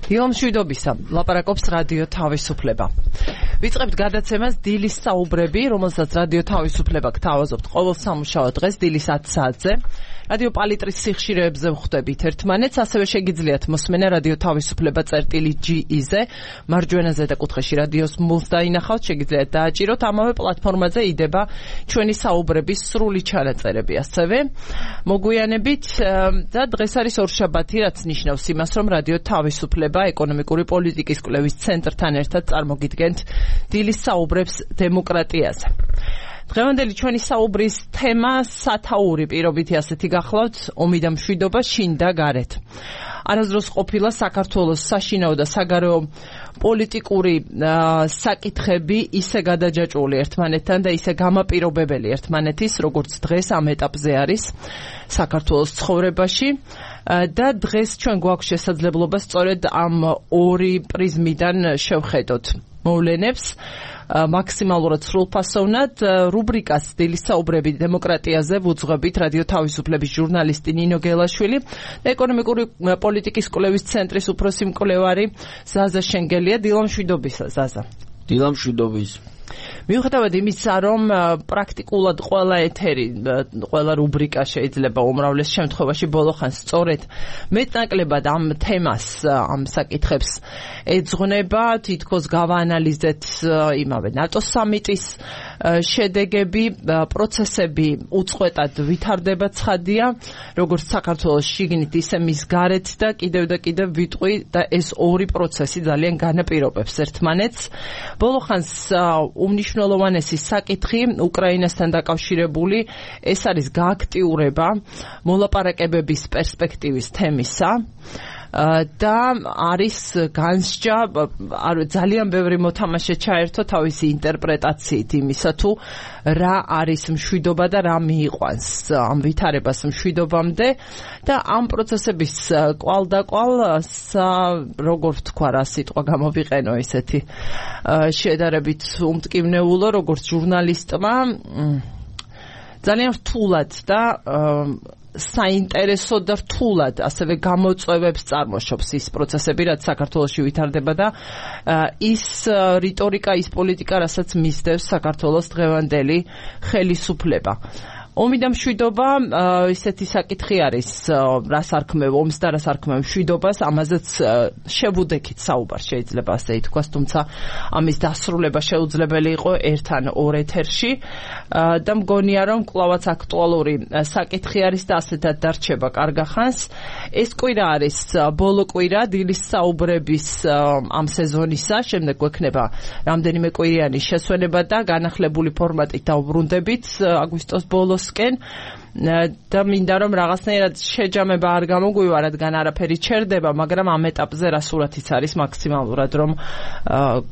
დილამშვიდობისა, ლაპარაკობს რადიო თავისუფლება. ვიწყებთ გადაცემას დილის საუბრები, რომელსაც რადიო თავისუფლება გთავაზობთ ყოველ სამუშაო დღეს დილის 10 საათზე. რადიო პალიტრის სიხშირეებზე ვხვდებით ერთმანეთს, ასევე შეგიძლიათ მოსმენა რადიო თავისუფლება წერტილი.ge-ზე, მარჯვენა ზედა კუთხეში რადიოს მულს დაინახავთ, შეგიძლიათ დააჭიროთ, ამავე პლატფორმაზე იდება ჩვენი საუბრების სრული ჩანაწერები, ასევე მოგვიანებით და დღეს არის ორშაბათი, რაც ნიშნავს იმას, რომ რადიო თავისუფლება ეკონომიკური პოლიტიკის კვლევის ცენტრთან ერთად წარმოგიდგენთ დილის საუბრებს დემოკრატიაზე. დღევანდელი ჩვენი საუბრის თემა სათაური პირობითი ასეთი გახლავთ, ომი და მშვიდობა შინ და გარეთ. არასდროს ყოფილა საქართველოს საშინაო და საგარეო პოლიტიკური საკითხები ისე გადაჯაჭვული ერთმანეთთან და ისე გამაპირობებელი ერთმანეთის, როგორც დღეს ამ ეტაპზე არის საქართველოს ცხოვრებაში. და დღეს ჩვენ გვაქვს შესაძლებლობა სწორედ ამ ორი პრიზმიდან შევხედოთ მოვლენებს მაქსიმალურად სრულფასოვნად. რუბრიკას დილის საუბრები დემოკრატიაზე ვუძღვებით რადიო თავისუფლების ჟურნალისტი ნინო გელაშვილი და ეკონომიკური პოლიტიკის კვლევის ცენტრის უფროსი მკვლევარი ზაზა შენგელია. დილამშვიდობისა, ზაზა. დილამშვიდობის. მიუხედავად იმისა, რომ პრაქტიკულად ყველა ეთერი, ყველა რუბრიკა შეიძლება უმრავლეს შემთხვევაში ბოლოხანს სწორედ მეტნაკლებად ამ თემას, ამ საკითხებს ეძღვნება, თითქოს გავაანალიზეთ იმავე ნატო სამიტის შედეგები, პროცესები უწყვეტად ვითარდება ცხადია, როგორც საქართველოს შიგნით, ისე მის გარეთ და კიდევ ვიტყვი და ეს ორი პროცესი ძალიან განაპირობებს ერთმანეთს. ბოლოხანს უმნიშვნელოვანესი საკითხი უკრაინასთან დაკავშირებული ეს არის გააქტიურება მოლაპარაკებების პერსპექტივის თემისა და არის განსჯა ძალიან ბევრი მოთამაშე ჩაერთო თავისი ინტერპრეტაციით იმისა თუ რა არის მშვიდობა და რა მიიყვანს ამ ვითარებას მშვიდობამდე და ამ პროცესების კვალდაკვალ როგორ ვთქვა რა სიტყვა გამოვიყენო ესეთი შედარებით უმტკივნეულო როგორც ჟურნალისტმა ძალიან რთულად და საინტერესო და რთულად ასევე გამოწვევებს წარმოშობს ის პროცესები, რაც საქართველოში ვითარდება და ის რიტორიკა, ის პოლიტიკა, რასაც მისდევს საქართველოს დღევანდელი ხელისუფლება. ომი და მშვიდობა ისეთი საკითხი არის, რას არქმევ ომს და რას არქმევ მშვიდობას, ამაზეც შევუდექით საუბარ შეიძლება ასე ითქვას, თუმცა ამის დასრულება შეუძლებელი იყო ერთ ან ორ ეთერში და მგონია რომ კვლავაც აქტუალური საკითხი არის და ასეთად დარჩება კარგახანს. ეს კვირა არის ბოლო კვირა დილის საუბრების ამ სეზონისა, შემდეგ გვექნება რამდენიმე კვირიანი შესვენება და განახლებული ფორმატით დავბრუნდებით აგვისტოს ბოლოს და მინდა რომ რაღაცნაირად შეჯამება არ გამოგვივა, რადგან არაფერი ჩერდება, მაგრამ ამ ეტაპზე რა სურათიც არის მაქსიმალურად რომ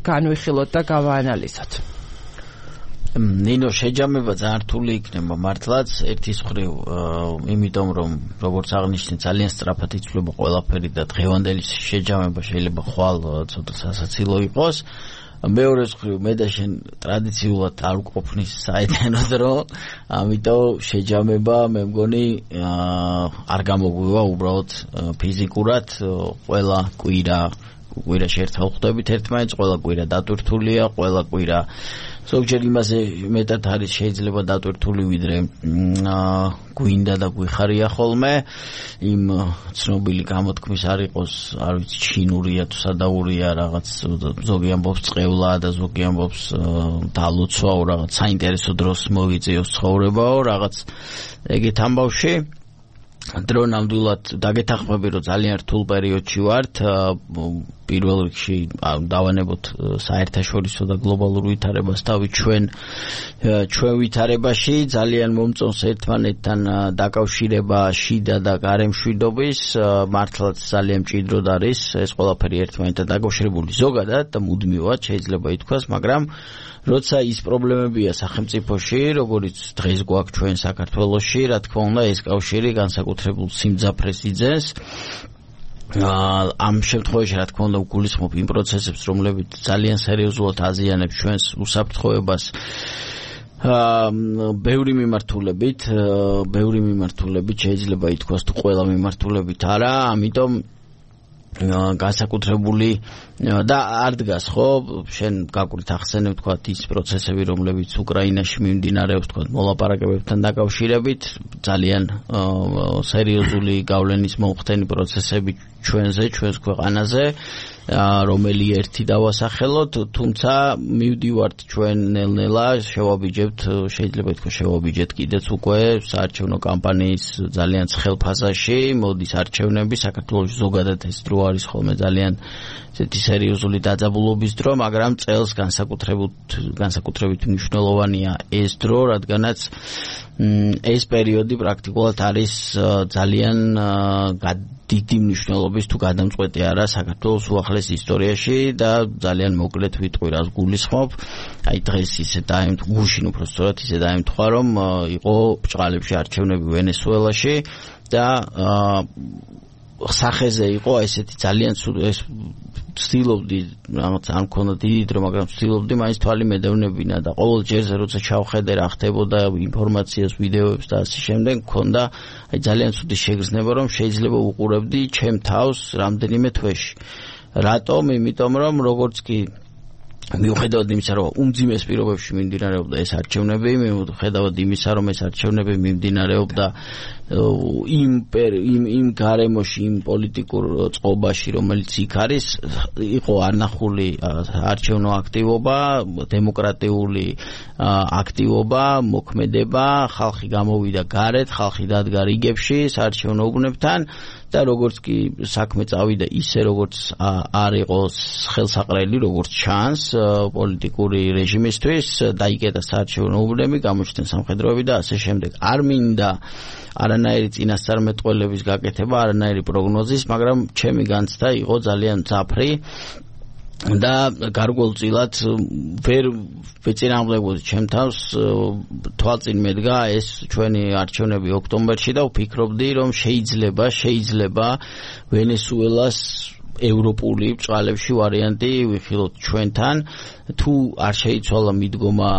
განვიხილოთ და გავაანალიზოთ. ნინო, შეჯამება ძალიან რთული იქნება მართლაც, ერთის მხრივ, იმიტომ რომ როგორც აღნიშნე, ძალიან სწრაფად იცვლება ყველაფერი და დღევანდელი შეჯამება შეიძლება ხვალ ცოტა სასაცილო იყოს. მეორე მხრივ მე და შენ ტრადიციულად არ ვყოფნის საიდანო დრო, ამიტომ შეჯამება მე მგონი არ გამოგვივა უბრალოდ ფიზიკურად ყველა კვირაში ერთხელ ხვდებით ერთმანეთს, ყველა კვირა დატვირთულია, ყველა კვირა ზოგჯერ იმაზე მეტად არის შეიძლება დატვირთული ვიდრე გვინდა და გვიხარია ხოლმე იმ ცნობილი გამოთქმის არ იყოს, არ ვიცი, ჩინურია თუ სადაურია, რაღაც ზოგი ამბობს წყევლა და ზოგი ამბობს დალოცვაო, რაღაც საინტერესო დროს მოგიწიოს ცხოვრებაო, რაღაც ეგეთ ამბავში. დრო ნამდვილად დაგეთანხმები, რომ ძალიან რთულ პერიოდში ვართ. პირველ რიგში დავანებოთ საერთაშორისო და გლობალურ ვითარებას თავი ჩვენ ვითარებაში ძალიან მომწონს ერთმანეთთან დაკავშირება შიდა და გარე მშვიდობის, მართლაც ძალიან მჭიდროდ არის ეს ყველაფერი ერთმანეთთან დაკავშირებული ზოგადად და მუდმივად შეიძლება ითქვას, მაგრამ როცა ის პრობლემებია სახელმწიფოში, როგორც დღეს გვაქვს ჩვენ საქართველოში, რა თქმა უნდა ეს კავშირი განსაკუთრებულ სიმძაფრეს იძენს. ამ შემთხვევაში რა თქმა უნდა ვგულისხმობ იმ პროცესებს, რომლებიც ძალიან სერიოზულად აზიანებს ჩვენს უსაფრთხოებას ბევრი მიმართულებით შეიძლება ითქვას თუ ყველა მიმართულებით არა, ამიტომ განსაკუთრებული და არ დგას ხო შენ გაკვრით ახსენებ თქვა ის პროცესები რომლებიც უკრაინაში მიმდინარეობს თქვა მოლაპარაკებებთან დაკავშირებით ძალიან სერიოზული გავლენის მომხდენი პროცესები ჩვენს ქვეყანაზე რომელი ერთი დავასახელოთ თუმცა მივდივართ ჩვენ ნელ-ნელა შევაბიჯებთ შეიძლება ითქვა შევაბიჯეთ კიდეც უკვე საარჩევნო კამპანიის ძალიან ცხელ ფაზაში მოდის არჩევნები საქართველოში ზოგადად ეს დრო არის ხოლმე ძალიან ესეთი სერიოზული დაძაბულობის დრო მაგრამ წელს განსაკუთრებით მნიშვნელოვანია ეს დრო რადგანაც ეს პერიოდი პრაქტიკულად არის ძალიან დიდი მნიშვნელობის თუ გადამწყვეტი არა საქართველოს უახლეს ისტორიაში და ძალიან მოკლედ ვიტყვი რას გულისხმობ აი დღეს ისე დაემთხვა გუშინ უფრო სწორად ისე დაემთხვა რომ იყო ბჭყალებში არჩევნები ვენესუელაში და სახეზე იყო ესეთი ძალიან ვცდილობდი რაღაც არ მქონდა დიდი დრო მაგრამ ვცდილობდი მაინც თვალი მედევნებინა და ყოველ ჯერზე როცა ჩავხედე რა ხდებოდა ინფორმაციას ვიდეოებს და ასე შემდეგ მქონდა აი ძალიან ცუდი შეგრძნება რომ შეიძლება უყურებდი ჩემ თავს რამდენიმე თვეში რატომ იმიტომ რომ როგორც კი მიუხედავად იმისა რომ უმძიმეს პირობებში მიმდინარეობდა ეს არჩევნები მიუხედავად იმისა რომ ეს არჩევნები მიმდინარეობდა იმ გარემოში იმ პოლიტიკურ წყობაში რომელიც იქ არის იყო არნახული არჩევნო აქტივობა დემოკრატიული აქტივობა მოქმედება ხალხი გამოვიდა გარეთ ხალხი დადგა რიგებში საარჩევნო უბნებთან და როგორც კი საქმე წავიდა ისე როგორც არ იყო ხელსაყრელი როგორც ჩანს პოლიტიკური რეჟიმისთვის დაიკეტა საარჩევნო უბნები გამოჩნდა სამხედროები და ასე შემდეგ არ მინდა არანაირი წინასწარმეტყველების გაკეთება არანაირი პროგნოზის მაგრამ ჩემი განცდა იყო ძალიან მძაფრი და გარკვეულწილად ვერ ვეწინააღმდეგებოდი ჩემ თავს თვალწინ მედგა ეს ჩვენი არჩევნები ოქტომბერში და ვფიქრობდი რომ შეიძლება ვენესუელას ევროპული ბჭყალებში ვარიანტი ვიხილოთ ჩვენთან თუ არ შეიცვალა მიდგომა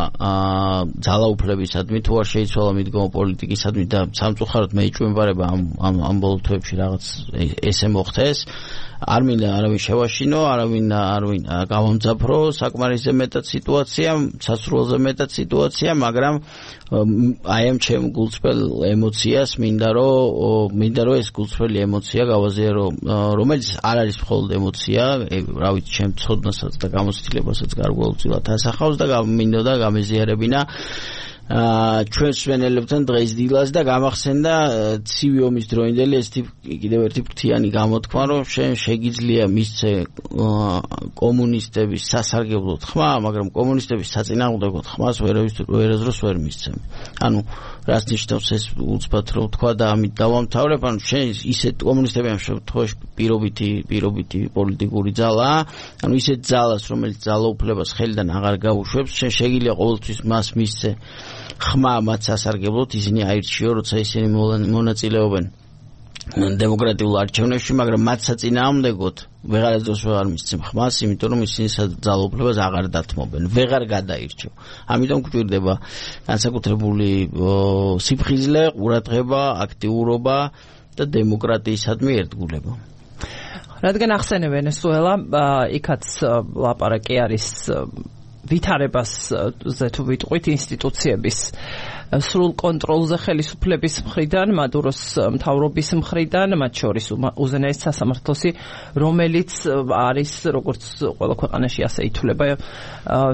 ძალაუფლებისადმი თუ არ შეიცვალა მიდგომა პოლიტიკისადმი და სამწუხაროდ მეიჭვენბარება ამ ბოლო თვეებში რაღაც ესე მოხდეს არ მინდა არავინ შევაშინო არავინ გავამძაფრო საკმარისზე მეტად სიტუაცია სასურველზე მეტად სიტუაცია მაგრამ აი ამ ჩემ გულწრფელ ემოციას მინდა რომ ეს გულწრფელი ემოცია გავაზიარო რომელიც არ არის მხოლოდ ემოცია რა ვიცი ჩემ ცოდნასაც და გამოცდილებასაც გარკვეულწილად ასახავს და მინდოდა გამეზიარებინა ჩვენს სვენელებთან დღეს დილას და გამახსენდა ცივი ომის დროინდელი ეს კიდევ ერთი ფრთიანი გამოთქმა რომ შეგიძლია მისცე კომუნისტების სასარგებლოდ ხმა მაგრამ კომუნისტების საწინააღმდეგოდ ხმას ვერასდროს ვერ მისცემ ანუ რას ნიშნავს ეს უცბად რო თქვა და ამით დავამთავრებ ანუ შენ ისეთ კომუნისტები ამ შემთხვევაში პირობითი პოლიტიკური ძალაა ანუ ისეთ ძალას რომელიც ძალაუფლებას ხელიდან აღარ გაუშვებს შენ შეგიძლია ყოველთვის მას მისცე ხმა მათ სასარგებლოდ ისინი აირჩიო როცა ისინი მონაწილეობენ დემოკრატიულ არჩევნებში მაგრამ მათ საწინააღმდეგოდ ვეღარასდროს ვეღარ მისცემ ხმას იმიტომ რომ ისინი ძალაუფლებას აღარ დათმობენ ვეღარ გადაირჩევ ამიტომ გვჭირდება განსაკუთრებული სიფხიზლე ყურადღება აქტიურობა და დემოკრატიისადმი ერთგულება რადგან ახსენე ვენესუელა იქაც ლაპარაკი არის ვითარებაზე თუ ვიტყვით ინსტიტუციების სრულ კონტროლზე ხელისუფლების მხრიდან, მადუროს მთავრობის მხრიდან, მათ შორის უზენაეს სასამართლოსი, რომელიც არის როგორც ყველა ქვეყანაში ასე ითვლება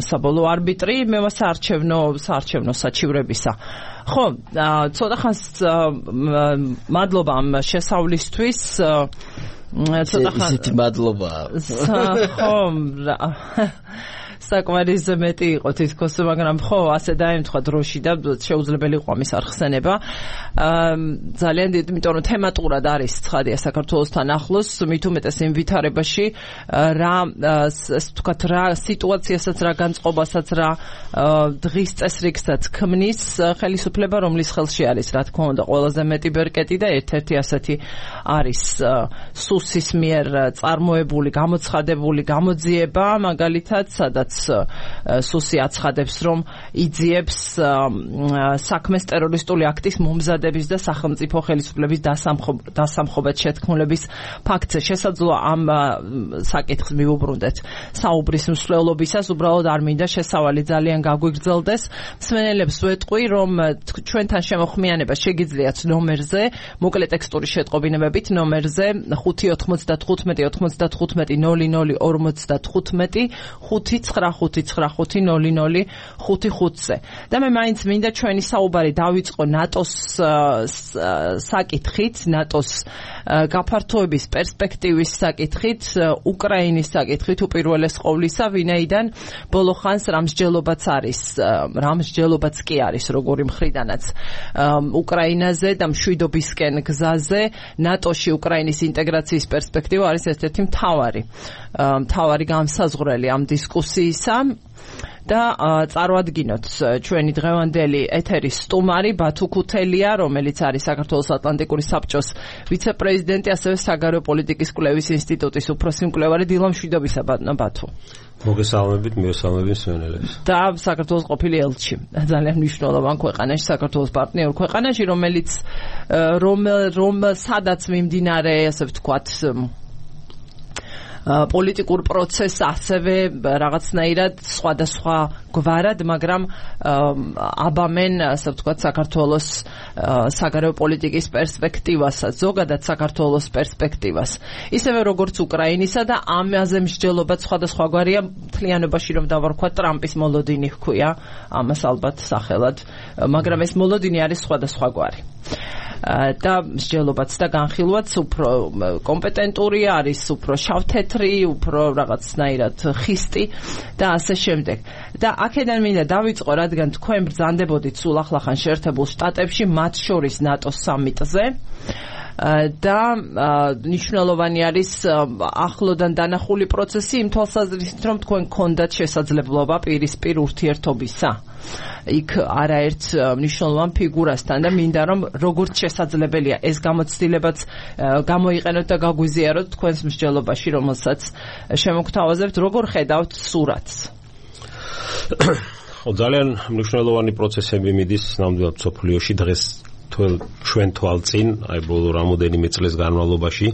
საბოლოო არბიტრი, საარჩევნო საჩივრებისა. ხო, ცოტა ხანს მადლობა ამ შესავლისთვის. ცოტა ხანს ისეთი მადლობა. ხო, საკმარისზე მეტი იყო თითქოს, მაგრამ ხო, ასე დაემთხვა დროში და შეუძლებელი იყო ამის არხსენება. ძალიან დიდი, იმიტომ რომ თემატურად არის ცხადია საქართველოსთან ახლოს, მით უმეტეს იმ ვითარებაში რა ვთქვათ, რა სიტუაციასაც, რა განწყობასაც, რა დღის წესრიგსაც ქმნის ხელისუფლება, რომლის ხელში არის, რა თქმა უნდა, ყველაზე მეტი ბერკეტი და ერთ-ერთი ასეთი არის სუსის მიერ წარმოებული, გამოცხადებული გამოძიება, მაგალითად, სადაც სუსი აცხადებს, რომ იძიებს საქმეს ტერორისტული აქტის მომზადების და სახელმწიფო ხელისუფლების დასამხობად შეთქმულების ფაქტზე. შესაძლოა ამ საკითხს მივუბრუნდეთ საუბრის მსვლელობისას, უბრალოდ არ მინდა შესავალი ძალიან გაგვიგრძელდეს. მსმენელებს ვეტყვი, რომ ჩვენთან შემოხმიანება შეგიძლიათ ნომერზე, მოკლე ტექსტური შეტყობინებებით ნომერზე 595-95-00-55-ზე და მე მაინც მინდა ჩვენი საუბარი დავიწყო ნატოს საკითხით, ნატოს გაფართოების პერსპექტივის საკითხით, უკრაინის საკითხით უპირველეს ყოვლისა, ვინაიდან ბოლო ხანს რამსჯელობაც კი არის როგორი მხრიდანაც უკრაინაზე და მშვიდობისკენ გზაზე ნატოში უკრაინის ინტეგრაციის პერსპექტივა არის ერთ-ერთი მთავარი განსაზღვრელი ამ დისკუსიისა. და წარმოადგინოთ ჩვენი დღევანდელი ეთერის სტუმარი ბათუ ქუთელია, რომელიც არის საქართველოს ატლანტიკური საბჭოს ვიცე-პრეზიდენტი, ასევე საგარეო პოლიტიკის კვლევის ინსტიტუტის უფროსი მკვლევარი. დილა მშვიდობისა ბათუ. მოგესალმებით, მიესალმებით მსმენელებს. და საქართველოს ყოფილი ელჩი, ძალიან მნიშვნელოვან ქვეყანაში, საქართველოს პარტნიორ ქვეყანაში, რომელიც სადაც მიმდინარე, ასე ვთქვათ, პოლიტიკურ პროცესს ასევე რაღაცნაირად სხვადასხვა გვარად, მაგრამ აბამენ, ასე ვთქვათ, საქართველოს საგარეო პოლიტიკის პერსპექტივასაც, ზოგადად საქართველოს პერსპექტივას. ისევე როგორც უკრაინისა და ამაზე მსჯელობა სხვადასხვაგვარია, მთლიანობაში რომ დავარქვათ, ტრამპის მოლოდინი ჰქვია, ამას ალბათ სახელად, მაგრამ ეს მოლოდინი არის სხვადასხვაგვარი. და მსჯელობაც და განხილვაც უფრო კომპეტენტური არის, უფრო შავთეთრი, უფრო რაღაცნაირად ხისტი და ასე შემდეგ. და აქედან მინდა დავიწყო, რადგან თქვენ ბრძანდებოდით სულ ახლახან შეერთებულ შტატებში, მათ შორის ნატოს სამიტზე. და მნიშვნელოვანი არის ახლოდან დანახული პროცესი იმ თვალსაზრისით, რომ თქვენ გქონდათ შესაძლებლობა პირისპირ ურთიერთობისა იქ არაერთ მნიშვნელოვან ფიგურასთან და მინდა რომ როგორც შესაძლებელია ეს გამოცდილებაც გამოიყენოთ და გაგვიზიაროთ თქვენს მსჯელობაში, რომელსაც შემოგთავაზებთ. როგორ ხედავთ სურათს? ძალიან მნიშვნელოვანი პროცესები მიდის ნამდვილად მსოფლიოში დღეს ჩვენ თვალწინ, აი ბოლო რამოდენიმე წლის განმავლობაში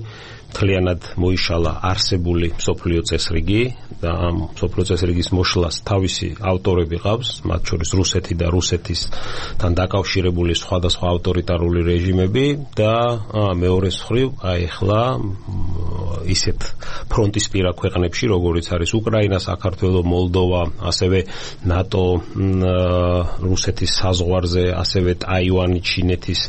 მთლიანად მოიშალა არსებული მსოფლიო წესრიგი და ამ მსოფლიო წესრიგის მოშლას თავისი ავტორები ყავს, მათ შორის რუსეთი და რუსეთისთან დაკავშირებული სხვადასხვა ავტორიტარული რეჟიმები და მეორე მხრივ აი ახლა ისეთ ფრონტისპირა ქვეყნებში, როგორიც არის უკრაინა, საქართველო, მოლდოვა, ასევე ნატო, რუსეთის საზღვარზე, ასევე ტაივანი, ჩინეთის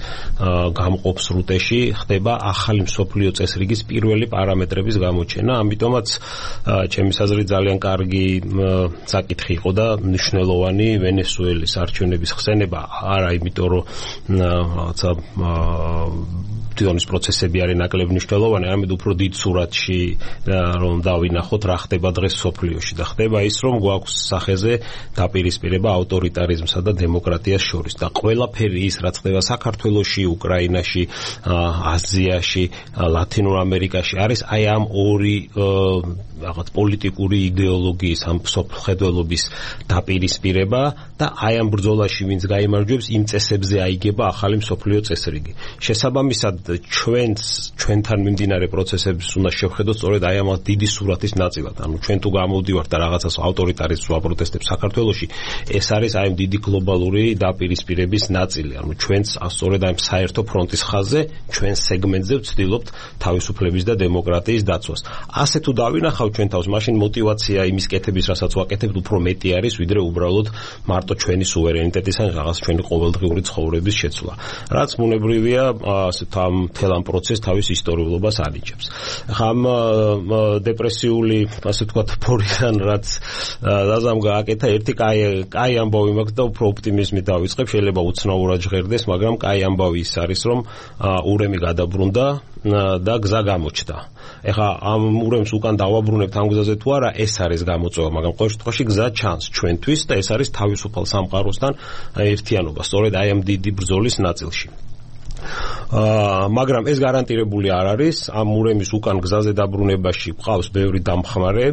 გამყოფ სრუტეში ხდება ახალი მსოფლიო წესრიგის პირველი პარამეტრების გამოჩენა. ამიტომაც ჩემი აზრით ძალიან კარგი საკითხი იყო და მნიშვნელოვანი ვენესუელის არჩევნების ხსენება, არა იმიტომ რომ რაღაცა თვითონის პროცესები არის ნაკლებ მნიშვნელოვანი, არამედ უფრო დიდ სურათში რომ დავინახოთ რა ხდება დღეს სოფლიოში და ხდება ის, რომ გვაქვს სახეზე დაპირისპირება ავტორიტარიზმსა და დემოკრატიას შორის და ყველაფერი ის რაც ხდება საქართველოში, უკრაინაში, აზიაში, ლათინურ ამერიკაში არის აი ამ ორი რაღაც პოლიტიკური იდეოლოგიის, ამ სოფლხედველობის დაპირისპირება და აი ამ ბრძოლაში ვინც გაიმარჯვებს, იმ წესებზე აიგება ახალი მსოფლიო წესრიგი. შესაბამისად ჩვენთან მიმდინარე პროცესებს უნდა შევხედოთ სწორედ აი ამ დიდი სურათის ნაწილად. ანუ ჩვენ თუ გამოვდივართ და რაღაცას ავტორიტარიზმს ვაპროტესტებთ საქართველოში, ეს არის აი დიდი გლობალური დაპირისპირების ნაწილი. ანუ ჩვენც სწორედ აი საერთო ფრონტის ხაზზე, ჩვენ სეგმენტზე ვცდილობთ თავისუფლების და დემოკრატიის დაცვას. ასე თუ დავინახავთ ჩვენ თავს, მაშინ мотиваცია იმის კეთების, რასაც ვაკეთებთ, უფრო მეტი არის, ვიდრე უბრალოდ მარტო ჩვენი სუვერენიტეტის ან რაღაც ჩვენი ყოველდღიური ცხოვრების შეცვლა. რაც ბუნებრივია, ამ მთელ ამ პროცესს თავის ისტორიულობას ანიჭებს. ამ დეპრესიული, ასე ვთქვათ, ფორიდან რაც დაზამ გააკეთა, ერთი კაი ამბავი მაქვს და უფრო ოპტიმიზმით დავიწყებ, შეიძლება უცნაურად ჟღერდეს, მაგრამ კაი ამბავი ის არის, რომ ურემი გადაბრუნდა და გზა გამოჩნდა. ეხლა ამ ურემს უკან დავაბრუნებთ ამ გზაზე თუ არა, ეს არის გამოწვევა, მაგრამ ყოველ შემთხვევაში გზა ჩანს ჩვენთვის და ეს არის თავისუფალ სამყაროსთან ერთიანობა, სწორედ აი ამ დიდი ბრძოლის ნაწილში. მაგრამ ეს გარანტირებული არ არის. ამ ურემის უკან გზაზე დაბრუნებაში ყავს ბევრი დამხმარე,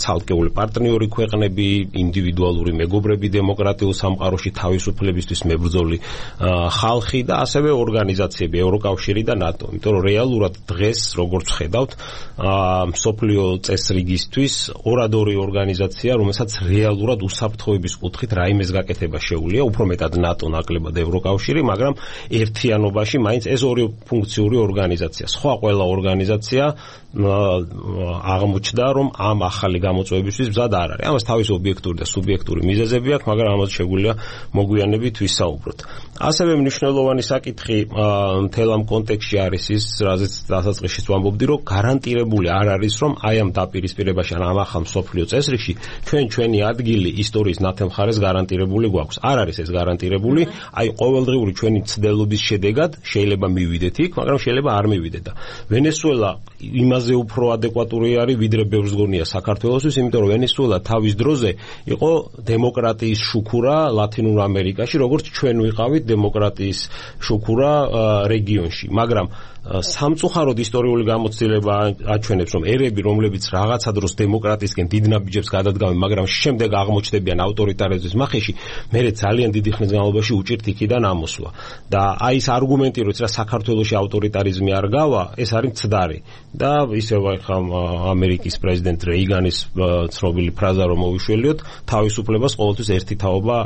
ცალკეული პარტნიორი ქვეყნები, ინდივიდუალური მეგობრები დემოკრატიულ სამყაროში თავისუფლებისთვის მებრძოლი ხალხი და ასევე ორგანიზაციები, ევროკავშირი და ნატო. იმიტომ რომ რეალურად დღეს როგორც ხედავთ, მსოფლიო წესრიგისთვის ორადორი ორგანიზაცია, რომელსაც რეალურად უსაფრთხოების კუთხით რაიმეს გაკეთება შეუძლია, უფრო მეტად ნატო, ნაკლებად ევროკავშირი, მაგრამ ერთიანობაში მაინც ეს ორი ფუნქციური ორგანიზაცია. სხვა ყველა ორგანიზაცია აღმოჩნდა, რომ ამ ახალი გამოწვევებისთვის მზად არ არის. ამას თავისი ობიექტური და სუბიექტური მიზეზები აქვს, მაგრამ ამას შეგვიძლია მოგვიანებით ვისაუბროთ. ასევე მნიშვნელოვანი საკითხი მთელ ამ კონტექსტში არის ის, რაზეც დასაწყისში ვამბობდი, რომ გარანტირებული არ არის, რომ აი ამ დაპირისპირებაში ან ამ ახალ მსოფლიო წესრიგში ჩვენი ადგილი ისტორიის ნათელმხარეს გარანტირებული გვაქვს. არ არის ეს გარანტირებული, აი ყოველდღიური ჩვენი ცდელობის შედეგად შეიძლება მივიდეთ იქ, მაგრამ შეიძლება არ მივიდეთ და ვენესუელა იმაზე უფრო ადეკვატური არის, ვიდრე ბევრს გონია საქართველოსთვის, იმიტომ რომ ვენესუელა თავის დროზე იყო დემოკრატიის შუქურა ლათინურ ამერიკაში, როგორც ჩვენ ვიყავით დემოკრატიის შუქურა რეგიონში, მაგრამ სამწუხაროდ ისტორიული გამოცდილება აჩვენებს, რომ ერები, რომლებიც რაღაცა დროს დემოკრატიისკენ დიდ ნაბიჯებს გადადგამენ, მაგრამ შემდეგ აღმოჩნდებიან ავტორიტარიზმის მახეში, მერე ძალიან დიდი ხნის განმავლობაში უჭირთ იქიდან ამოსვლა. და აი ეს არგუმენტი, რომ რა საქართველოში ავტორიტარიზმი არ გავა, ეს არის მცდარი. და ისევ ახლა ამერიკის პრეზიდენტ რეიგანის ცნობილი ფრაზა რომ მოვიშველიოთ, თავისუფლებას ყოველთვის ერთი თაობა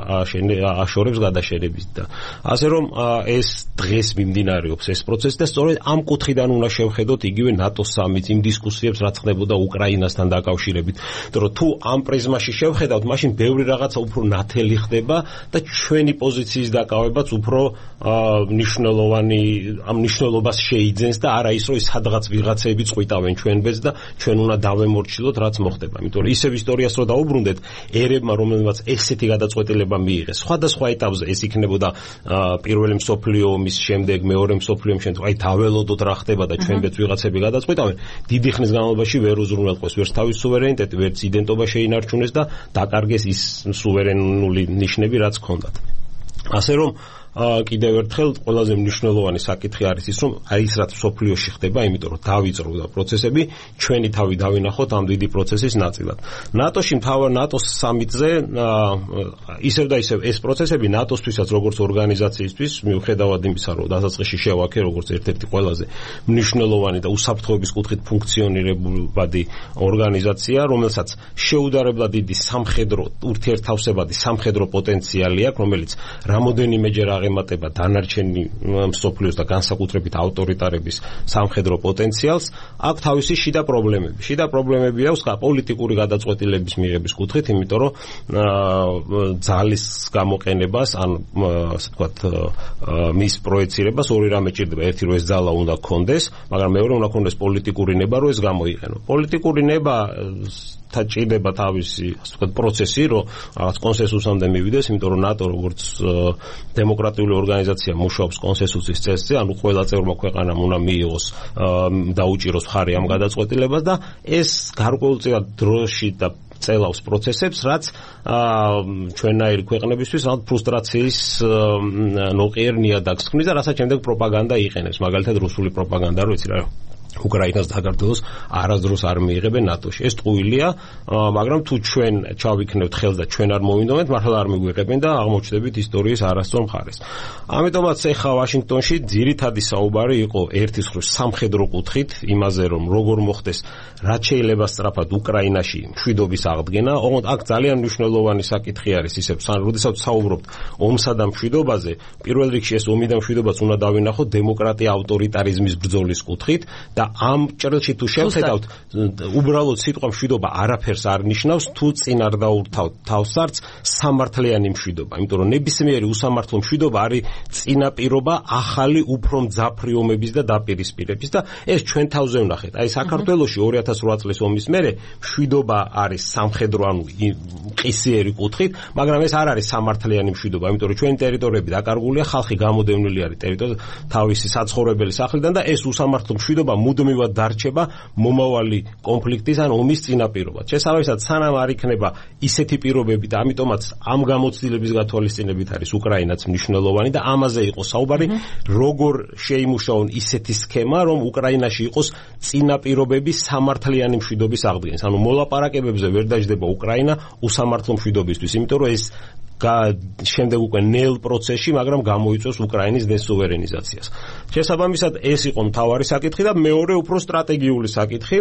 აშორებს გადაშენებით და ასე რომ ეს დღეს მიმდინარეობს ეს პროცესი და სწორედ ამ კუთხიდან უნდა შევხედოთ იგივე ნატოს სამიტს, იმ დისკუსიებს, რაც ხდებოდა უკრაინასთან დაკავშირებით. იმიტომ რომ თუ ამ პრიზმაში შევხედავთ, მაშინ ბევრი რაღაცა უფრო ნათელი ხდება და ჩვენი პოზიციის დაკავებაც უფრო მნიშვნელოვანი ამ მნიშვნელობას შეიძენს და არა ის, რომ სადღაც ვიღაცები წყვიტავენ ჩვენბედს და ჩვენ უნდა დავემორჩილოთ, რაც მოხდება. იმიტომ რომ ისევ ისტორიას რო დაუბრუნდეთ, ერებმა, რომელმაც ესეთი გადაწყვეტილება მიიღეს, სხვადასხვა ეტაპზე ეს იქნებოდა პირველი მსოფლიო ომის შემდეგ, მეორე მსოფლიო ომის შემდეგ, აი დაველოდოთ რა ხდება და ჩვენბედს ვიღაცები გადაწყვიტავენ, დიდი ხნის განმავლობაში ვერ უზრუნველყოს ვერც თავის სუვერენიტეტი, ვერც იდენტობა შეინარჩუნეს და დაკარგეს ის სუვერენული ნიშნები, რაც ჰქონდათ. ასე რომ კიდევ ერთხელ ყველაზე მნიშვნელოვანი საკითხი არის ის, რომ აი ის რაც სოფლიოში ხდება, იმიტომ რომ დავიწყდა პროცესები, ჩვენი თავი დავინახოთ ამ დიდი პროცესის ნაწილად. ნატოში ნატოს სამიტზე ისევ და ისევ ეს პროცესები ნატოსთვისაც როგორც ორგანიზაციისთვის, მიუხედავად იმისა, რომ დასაწყისში შევაქე როგორც ერთ-ერთი ყველაზე მნიშვნელოვანი და უსაფრთხოების კუთხით ფუნქციონირებადი ორგანიზაცია, რომელსაც შეუდარებლად დიდი სამხედრო ურთიერთთავსებადი სამხედრო პოტენციალი აქვს, რომელიც რამოდენიმეჯერ ემატება დანარჩენი მსოფლიოს და განსაკუთრებით ავტორიტარების სამხედრო პოტენციალს, აქვს თავისი შიდა პრობლემები. შიდა პრობლემები აქვს პოლიტიკური გადაწყვეტილების მიღების კუთხით, იმიტომ რომ ძალის გამოყენებას, ან ასე ვთქვათ, მის პროექცირებას ორი რამე ჭირდება. ერთი რომ ეს ძალა უნდა გქონდეს, მაგრამ მეორე უნდა გქონდეს პოლიტიკური ნება, რომ ეს გამოიყენო. პოლიტიკური ნება ჭირდება თავისი, ასე ვთქვათ, პროცესი, რომ რაღაც კონსენსუსამდე მივიდეს, იმიტომ რომ ნატო როგორც დემოკრატიული ორგანიზაცია მუშაობს კონსენსუსის წესზე, ანუ ყველა წევრმა ქვეყანამ უნდა მიიღოს და უჭიროს მხარი ამ გადაწყვეტილებას და ეს გარკვეულწილად დროში და წელავს პროცესებს, რაც ჩვენნაირი ქვეყნებისთვის რაღაც ფრუსტრაციის ნოყიერ ნიადაგს ქმნის და რასაც შემდეგ პროპაგანდა იყენებს, მაგალითად რუსული პროპაგანდა, რო იცი რა უკრაინას საქართველოს არასდროს არ მიიღებენ ნატოში. ეს ტყუილია, მაგრამ თუ ჩვენ ჩავიქნევთ ხელს და ჩვენ არ მოვინდომეთ, მართლა არ მიგვიღებენ და აღმოჩნდებით ისტორიის არასწორ მხარეს. ამიტომაც ეხლა ვაშინგტონში ძირითადი საუბარი იყო ერთის მხრივ სამხედრო კუთხით, იმაზე რომ როგორ მოხდეს, რაც შეიძლება სწრაფად უკრაინაში მშვიდობის აღდგენა. ოღონდ აქ ძალიან მნიშვნელოვანი საკითხი არის ისევ, როდესაც საუბრობთ ომსა და მშვიდობაზე, პირველ რიგში ეს ომი და მშვიდობაც უნდა დავინახოთ დემოკრატია ავტორიტარიზმის ბრძოლის კუთხით და ამ ჭრილში თუ შევხედავთ, უბრალოდ სიტყვა მშვიდობა არაფერს არ ნიშნავს, თუ წინ არ დაურთავთ თავსარც სამართლიანი მშვიდობა. იმიტომ რომ ნებისმიერი უსამართლო მშვიდობა არის წინაპირობა ახალი უფრო მძაფრი ომების და დაპირისპირების და ეს ჩვენ თავზე ვნახეთ. აი საქართველოში 2008 წლის ომის მერე მშვიდობა არის სამხედრო, ანუ ყისიერი კუთხით, მაგრამ ეს არ არის სამართლიანი მშვიდობა, იმიტომ რომ ჩვენი ტერიტორიები დაკარგულია, ხალხი გამოდევნილი არის ტერიტორიაზე თავისი საცხოვრებელი სახლიდან და ეს უსამართლო მშვიდობა მუდმივად დარჩება მომავალი კონფლიქტის ან ომის წინაპირობად. შესაბამისად, სანამ არ იქნება ისეთი პირობები და ამიტომაც ამ გამოცდილების გათვალისწინებით არის უკრაინაც მნიშვნელოვანი და ამაზე იყო საუბარი, როგორ შეიმუშაონ ისეთი სქემა, რომ უკრაინაში იყოს წინაპირობები სამართლიანი მშვიდობის აღდგენის. ანუ მოლაპარაკებებზე ვერ დაждდება უკრაინა უსამართლო მშვიდობისთვის, იმიტომ რომ ეს შემდეგ უკვე ნელ პროცესში, მაგრამ გამოიწვევს უკრაინის დესუვერენიზაციას. შესაბამისად, ეს იყო მთავარი საკითხი და მეორე უფრო სტრატეგიული საკითხი.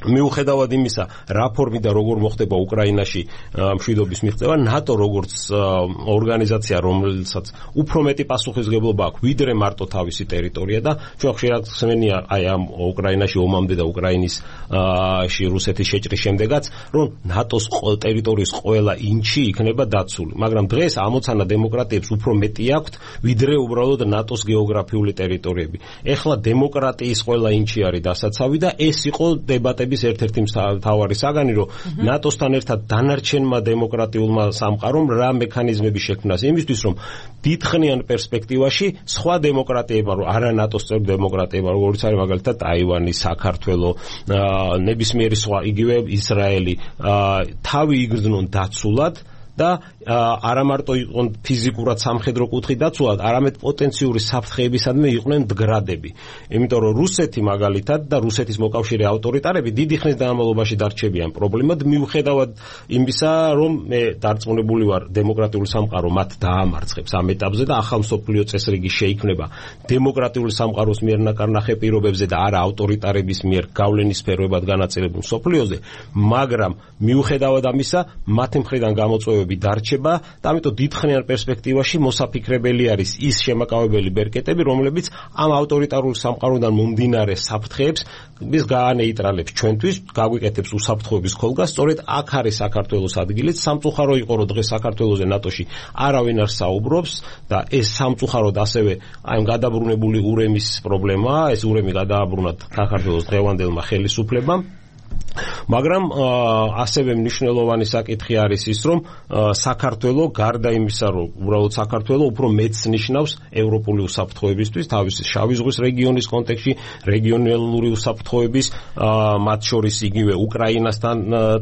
მიუხედავად იმისა, რა ფორმით და როგორ მოხდება უკრაინაში მშვიდობის მიღწევა, ნატო როგორც ორგანიზაცია, რომელსაც უფრო მეტი პასუხისმგებლობა აქვს, ვიდრე მარტო თავისი ტერიტორია და ჩვენ ხშირად ხსენია აი ამ უკრაინაში ომამდე და უკრაინისში რუსეთის შეჭრის შემდეგაც, რომ ნატოს ტერიტორიის ყველა ინჩი იქნება დაცული. მაგრამ დღეს ამოცანა დემოკრატიებს უფრო მეტი აქვთ, ვიდრე უბრალოდ ნატოს გეოგრაფიული ტერიტორიები. ეხლა დემოკრატიის ყველა ინჩი არის დასაცავი და ეს იყო დებატები ერთ-ერთი მთავარი საგანი, რომ ნატოსთან ერთად დანარჩენმა დემოკრატიულმა სამყარომ რა მექანიზმები შექმნას იმისთვის, რომ დიდხნიან პერსპექტივაში სხვა დემოკრატიებმა, რომ არა ნატოს წევრ დემოკრატიებმა, როგორც არის მაგალითად ტაივანი, საქართველო, ნებისმიერი სხვა, იგივე ისრაელი, თავი იგრძნონ დაცულად და არა მარტო იყვნენ ფიზიკურად სამხედრო კუთხით დაცულად, არამედ პოტენციური საფრთხეებისადმი იყვნენ მდგრადები. იმიტომ რომ რუსეთი მაგალითად და რუსეთის მოკავშირე ავტორიტარები დიდი ხნის განმავლობაში დარჩებიან პრობლემად, მიუხედავად იმისა, რომ მე დარწმუნებული ვარ, დემოკრატიული სამყარო მათ დაამარცხებს ამ ეტაპზე და ახალ მსოფლიო წესრიგი შეიქმნება დემოკრატიული სამყაროს მიერ ნაკარნახე პირობებზე და არა ავტორიტარების მიერ გავლენის სფეროებად განაწილებულ მსოფლიოზე, მაგრამ მიუხედავად ამისა, მათი მხრიდან გამოწვევები დარჩება და ამიტომ დიდხნიან პერსპექტივაში მოსაფიქრებელი არის ის შემაკავებელი ბერკეტები, რომლებიც ამ ავტორიტარული სამყაროდან მომდინარე საფრთხეებს გაანეიტრალებს ჩვენთვის, გაგვიკეთებს უსაფრთხოების ქოლგას. სწორედ აქ არის საქართველოს ადგილიც. სამწუხარო იყო, რომ დღეს საქართველოზე ნატოში არავინ არ საუბრობს და ეს სამწუხაროდ ასევე აი გადაბრუნებული ურემის პრობლემაა. ეს ურემი გადააბრუნათ საქართველოს დღევანდელმა ხელისუფლებამ. მაგრამ ასევე მნიშვნელოვანი საკითხი არის ის, რომ საქართველო გარდა იმისა, რომ უბრალოდ საქართველო უფრო მეც ნიშნავს ევროპული უსაფრთხოებისთვის, თავისი შავი ზღვის რეგიონის კონტექსტში, რეგიონალური უსაფრთხოების, მათ შორის იგივე უკრაინასთან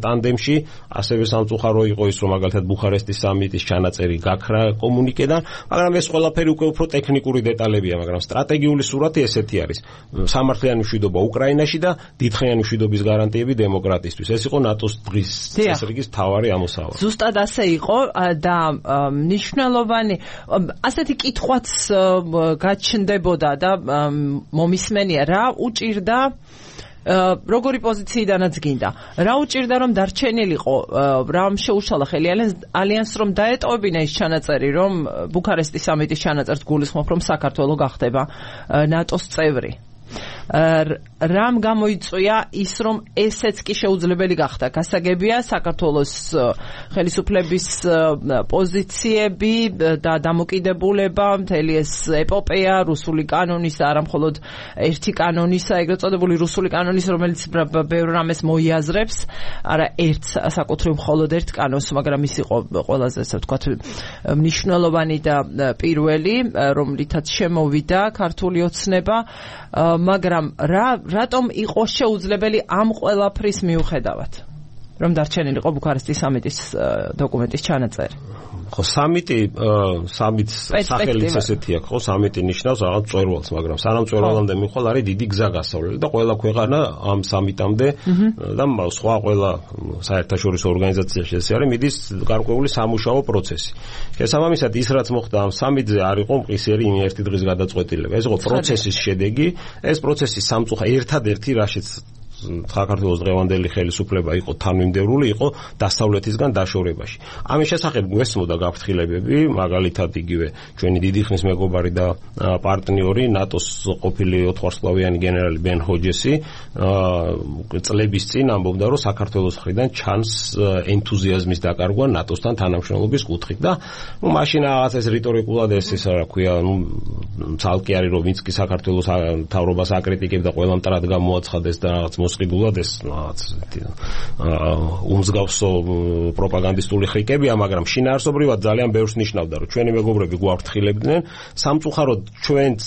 ტანდემში, ასევე სამწუხარო იყო ის, რომ მაგალითად ბუხარესტის სამიტის ჩანაწერი გაქრა კომუნიკედან, მაგრამ ეს ყველაფერი უკვე უფრო ტექნიკური დეტალებია, მაგრამ სტრატეგიული სურათი ესეთი არის. სამართლიანი მშვიდობა უკრაინაში და დიდხნიანი მშვიდობის გარანტიები დემოკრატიისთვის. ეს იყო ნატოს დღის წესრიგის მთავარი ამოსავალი. ზუსტად ასე იყო და მნიშვნელოვანი ასეთი კითხვაც გაჩნდებოდა და მომისმენია, რა უჭირდა როგორი პოზიციიდანაც გინდა. რა უჭირდა, რომ დარჩენილიყო, რამ შეუშალა ხელი ალიანსს, რომ დაეტოვებინა ის ჩანაწერი, რომ ბუქარესტის სამიტის ჩანაწერს გულისხმობ, რომ საქართველო გახდება ნატოს წევრი. რამ გამოიწვია ის, რომ ესეც კი შეუძლებელი გახდა. გასაგებია საქართველოს ხელისუფლების პოზიციები და დამოკიდებულება, მთელი ეს ეპოპეა რუსული კანონის, არა მხოლოდ ერთი კანონისა, ეგრეთ წოდებული რუსული კანონის, რომელიც ბევრ რამეს მოიაზრებს, არა ერთ საკუთრივ მხოლოდ ერთ კანონს, მაგრამ ის იყო ყველაზე, ასე ვთქვათ, მნიშვნელოვანი და პირველი, რომლითაც შემოვიდა ქართული ოცნება, მაგრამ რატომ იყო შეუძლებელი ამ ყველაფრის მიუხედავად, რომ დარჩენილიყო ბუქარესტის სამიტის დოკუმენტის ჩანაწერი? ხო, სამიტს სახელიც ესეთი აქვს, ხო, სამიტი ნიშნავს რაღაც მწვერვალს, მაგრამ სანამ მწვერვალამდე მიხვალ არის დიდი გზა გასავლელი და ყველა ქვეყანა ამ სამიტამდე და სხვა ყველა საერთაშორისო ორგანიზაციაში ეს არის მიდის გარკვეული სამუშაო პროცესი. შესაბამისად, ის რაც მოხდა ამ სამიტზე არ იყო მყისიერი ერთი დღის გადაწყვეტილება. ეს იყო პროცესის შედეგი, ეს პროცესი ერთადერთი რაშიც საქართველოს დღევანდელი ხელისუფლება იყო თანმიმდევრული, იყო დასავლეთისგან დაშორებაში. ამის შესახებ გვესმოდა გაფრთხილებები, მაგალითად იგივე ჩვენი დიდი ხნის მეგობარი და პარტნიორი ნატოს ყოფილი 4 ვარსკვლავიანი გენერალი ბენ ჰოჯესი წლების წინ ამბობდა, რომ საქართველოს მხრიდან ჩანს ენთუზიაზმის დაკარგვა ნატოსთან თანამშრომლობის კუთხით და მაშინ რაღაც ეს რიტორიკულად ეს რა ქვია, ცალკე არის, რომ ვინც კი საქართველოს მთავრობას აკრიტიკებდა, ყველა მტრად გამოაცხადეს და რაღაც მოსყიდულად ეს უმსგავსო პროპაგანდისტული ხრიკებია, მაგრამ შინაარსობრივად ძალიან ბევრს ნიშნავდა, რომ ჩვენი მეგობრები გვაფრთხილებდნენ, სამწუხაროდ ჩვენც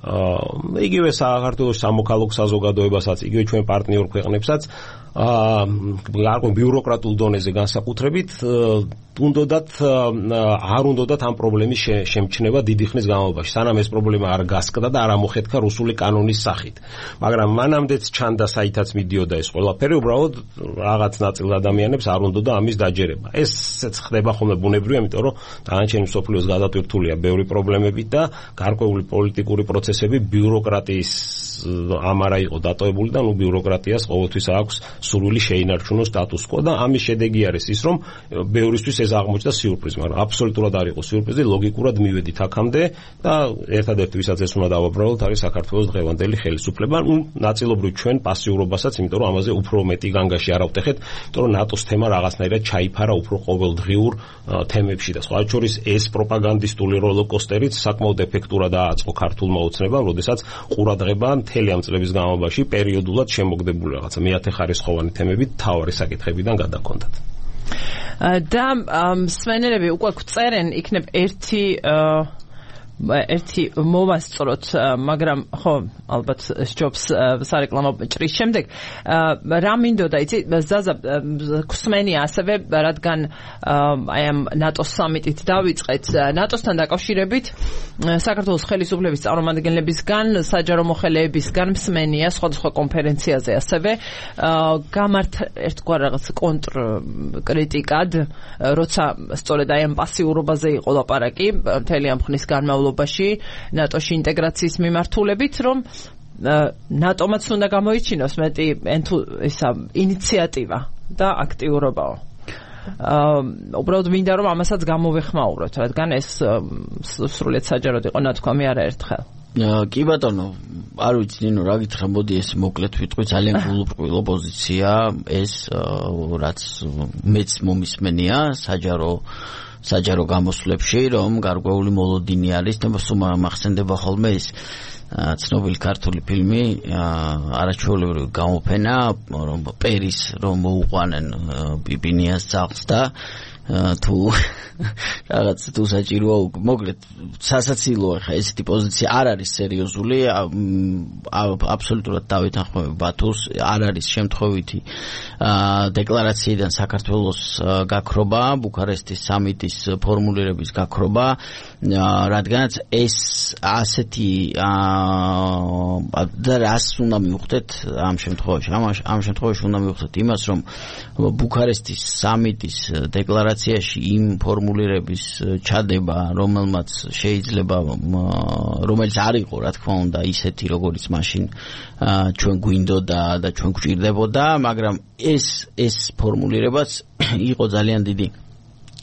იგივე საქართველოს სამოქალაქო საზოგადოებასაც, იგივე ჩვენ პარტნიორ ქვეყნებსაც გარკვეულ ბიუროკრატულ დონეზე განსაკუთრებით არ უნდათ ამ პრობლემის შემჩნევა დიდი ხნის განმავლობაში, სანამ ეს პრობლემა არ გასკდა და არ ამოხეთქა რუსული კანონის სახით. მაგრამ მანამდეც ჩანდა, საითაც მიდიოდა ეს ყველაფერი, უბრალოდ რაღაც ნაწილ ადამიანებს არ უნდოდა ამის დაჯერება. ესეც ხდება ხოლმე ბუნებრივია, იმიტომ რომ დანარჩენი მსოფლიოს გადატვირთულია ბევრი პრობლემებით და გარკვეული პოლიტიკური პროცესები ბიუროკრატიის ამ არა იყო დატოვებული და ბიუროკრატიას ყოველთვის აქვს სურვილი შეინარჩუნოს სტატუს კო და ამის შედეგი არის ის, რომ ბევრისთვის ეს აღმოჩნდა სიურპრიზი, მაგრამ აბსოლუტურად არ იყო სიურპრიზი, ლოგიკურად მივედით აქამდე და ერთადერთი ვისაც ეს უნდა დავაბრალოთ არის საქართველოს დღევანდელი ხელისუფლება, ნაწილობრივ ჩვენ პასიურობასაც, იმიტომ რომ ამაზე უფრო მეტი განგაში არ ავტეხეთ, იმიტომ რომ ნატოს თემა რაღაცნაირად ჩაიფარა უფრო ყოველდღიურ თემებში და სხვა შორის ეს პროპაგანდისტული როლოკოსტერიც საკმაოდ ეფექტურად ააწყო ქართულმა ოცნებამ, როდესაც ყურადღება მთელი ამ წლების განმავლობაში პერიოდულად შემოგდებული რაღაცა მეათეხარისხოვანი თემებით თავარი საკითხებიდან გადაგქონდათ. და სვენელები უკვე წერენ იქნებ ერთი მოვასწროთ, მაგრამ ხო ალბათ სჯობს სარეკლამო ჭრის შემდეგ რა მინდოდა იცი ზაზა ქსმენია ასევე რადგან აი ამ ნატოს სამიტით დავიწყეთ ნატოსთან დაკავშირებით საქართველოს ხელისუფლების წარმომადგენლებისგან საჯარო მოხელეებისგან მსმენია სხვადასხვა კონფერენციაზე ასევე გამართ ერთგვარ რაღაც კონტრკრიტიკად როცა სწორედ აი ამ პასიურობაზე იყო ლაპარაკი მთელი ამ ხნის განმავლობაში ნატოში ინტეგრაციის მიმართულებით, რომ ნატომაც უნდა გამოიჩინოს მეტი ინიციატივა და აქტიურობაო. უბრალოდ მინდა რომ ამასაც გამოვეხმაუროთ, რადგან ეს სრულიად საჯაროდ იყო ნათქვამი არაერთხელ. კი ბატონო, არ ვიცი ნინო რა გითხრა, მოდი ეს მოკლედ ვიტყვი, ძალიან გულუბრყვილო პოზიცია ეს, რაც მეც მომისმენია საჯარო გამოსვლებში, რომ გარკვეული მოლოდინი არის და მახსენდება ხოლმე ეს ცნობილი ქართული ფილმი არაჩვეულებრივი გამოფენა, რომ პერის რომ მოუყვანენ პიპინიას ძაღლს და თუ რაღაც თუ საჭიროა მოკლედ სასაცილოა ხა ესეთი პოზიცია არ არის სერიოზული, აბსოლუტურად დავეთანხმები ბათუს, არ არის შემთხვევითი დეკლარაციიდან საქართველოს გაქრობა, ბუქარესტის სამიტის ფორმულირების გაქრობა, რადგანაც ეს ასეთი და რას უნდა მივხვდეთ ამ შემთხვევაში, ამ შემთხვევაში უნდა მივხვდეთ იმას, რომ ბუქარესტის სამიტის დეკლარაციაში იმ ფორმულირების ჩადება, რომელიც არ იყო, რა თქმა უნდა, ისეთი, როგორც მაშინ ჩვენ გვინდოდა და ჩვენ გვჭირდებოდა, მაგრამ ეს ფორმულირებაც იყო ძალიან დიდი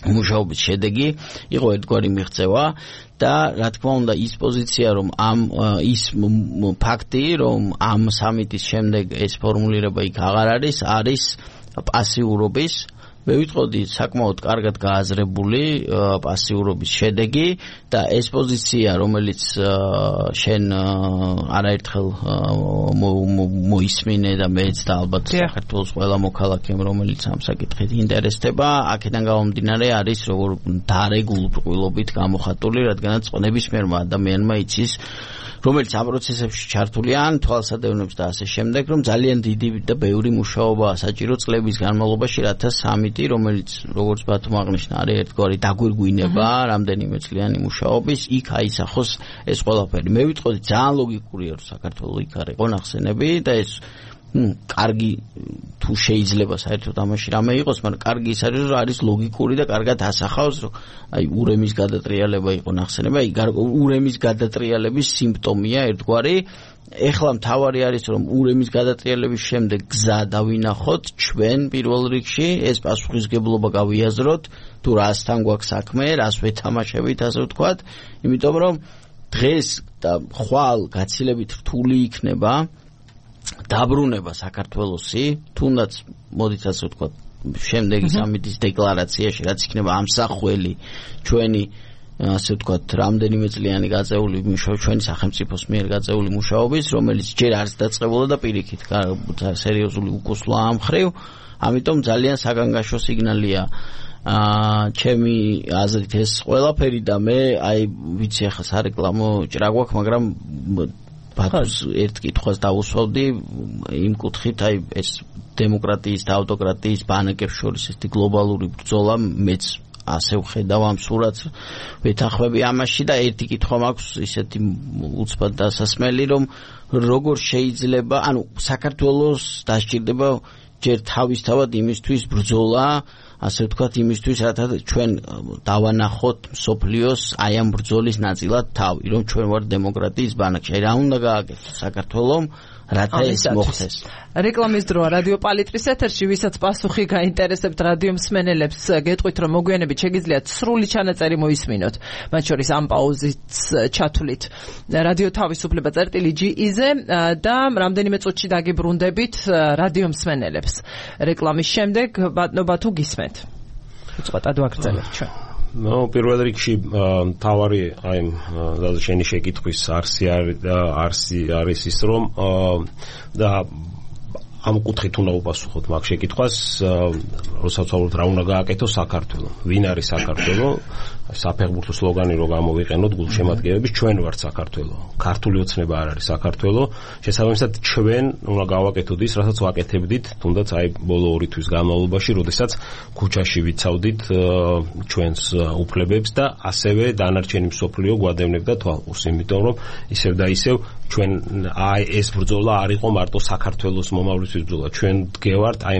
მუშაობის შედეგი, იყო ერთგვარი მიღწევა და რა თქმა უნდა ის პოზიცია, რომ ის ფაქტი, რომ ამ სამიტის შემდეგ ეს ფორმულირება იქ აღარ არის პასიურობის, მე ვიტყოდი საკმაოდ კარგად გააზრებული პასიურობის შედეგი და ეს პოზიცია, რომელიც შენ არაერთხელ მოისმინე და მეც და ალბათ საქართველოს ყველა მოქალაქემ, რომელიც ამ საკითხით ინტერესდება, აქედან გამომდინარე არის როგორ დარეგულირებით გამოხატული, რადგანაც ნებისმიერმა ადამიანმა იცის, რომელიც ამ პროცესებში ჩართულია, ან თვალსადევნებს და ასე შემდეგ, რომ ძალიან დიდი და ბევრი მუშაობაა საჭირო წლების განმავლობაში, რათა სამიტი, რომელიც როგორც ბათუმ აღნიშნა, არის ერთგვარი დაგვირგვინება რამდენიმე წლიანი მუშაობის, იქ აისახოს ეს ყველაფერი. მე ვიტყოდი ძალიან ლოგიკურია, რომ საქართველოს იქ არ იყო ნახსენები და ეს კარგი თუ შეიძლება საერთოდ ამაში რამე იყოს, მაგრამ კარგი ის არის, რომ არის ლოგიკური და კარგად ასახავს, რომ აი ურემის გადატრიალება იყო ნახსენები, აი ურემის გადატრიალების სიმპტომია ერთგვარი. ეხლა მთავარი არის, რომ ურემის გადატრიალების შემდეგ გზა დავინახოთ ჩვენ პირველ რიგში, ეს პასუხისგებლობა გავიაზროთ, თუ რასთან გვაქვს საქმე, რას ვეთამაშებით, ასე ვთქვათ, იმიტომ რომ დღეს და ხვალ გაცილებით რთული იქნება დაბრუნება საქართველოსი, თუნდაც მოდით ასე ვთქვათ, შემდეგი სამიტის დეკლარაციაში, რაც იქნება ამსახველი ჩვენი ასე ვთქვათ, რამდენიმე წლიანი გაწეული ჩვენი სახელმწიფოს მიერ გაწეული მუშაობის, რომელიც ჯერ არის დაწყებული და პირიქით სერიოზული უკუსლა ამ ხრივ, ამიტომ ძალიან საგანგაშო სიგნალია ჩემი აზრით ეს ყველაფერი და მე აი ვიცი ახლა სარეკლამო ჭრა გვაქვს, მაგრამ ბათუმს ერთ კითხვას დავუსვავდი იმ კუთხით, აი ეს დემოკრატიის და ავტოკრატიის ბანაკებს შორის ეს გლობალური ბრძოლა მეც ასე ვხედავ ამ სურათს, ვეთანხმები ამაში და ერთი კითხვა მაქვს ისეთი უცბად დასასმელი, რომ როგორ შეიძლება, ანუ საქართველოს დასჭირდება ჯერ თავისთავად იმისთვის ბრძოლა, ასე ვთქვათ, იმისთვის, რათა ჩვენ დავანახოთ მსოფლიოს აი ამ ბრძოლის ნაწილად თავი, რომ ჩვენ ვართ დემოკრატიის ბანაკში. რა უნდა გააკეთოს საქართველომ, რათა ეს მოხდეს? რეკლამის დროა რადიო პალიტრის ეთერში, ვისაც პასუხი გაინტერესებთ რადიო მსმენელებს, გეტყვით, რომ მოგვიანებით შეგიძლიათ სრული ჩანაწერი მოისმინოთ, მათ შორის ამ პაუზით ჩათვლით რადიო თავისუფლება წერტილი.ge-ზე და რამდენიმე წუთში დაგიბრუნდებით რადიო მსმენელებს. რეკლამის შემდეგ ბატონობა თუ გისმენთ. უწყოთ ადვაგრძელებთ ჩვენ. პირველ რიგში თავარი აი შენი შეკითხვის არსი არის ის, რომ და ამ კუთხით უნდა უპასუხოთ მაგ შეკითხვას, როცა ვცხოვრობთ რა უნდა გააკეთოს საქართველო, ვინ არის საქართველო, საფეხბურთო სლოგანი რო გამოვიყენოთ გულშემატკივრების, ჩვენ ვართ საქართველო, ქართული ოცნება არ არის საქართველო, შესაბამისად ჩვენ უნდა გავაკეთოთ ის, რასაც ვაკეთებდით თუნდაც აი ბოლო 2 თვის განმავლობაში, როდესაც ქუჩაში ვიცავდით ჩვენს უფლებებს და ასევე დანარჩენი მსოფლიო გვადევნებდა თვალყურს, იმიტომ რომ ისევ და ისევ ჩვენ აი ეს ბრძოლა არ იყო მარტო საქართველოს მომავლის ბრძოლა, ჩვენ დგევართ აი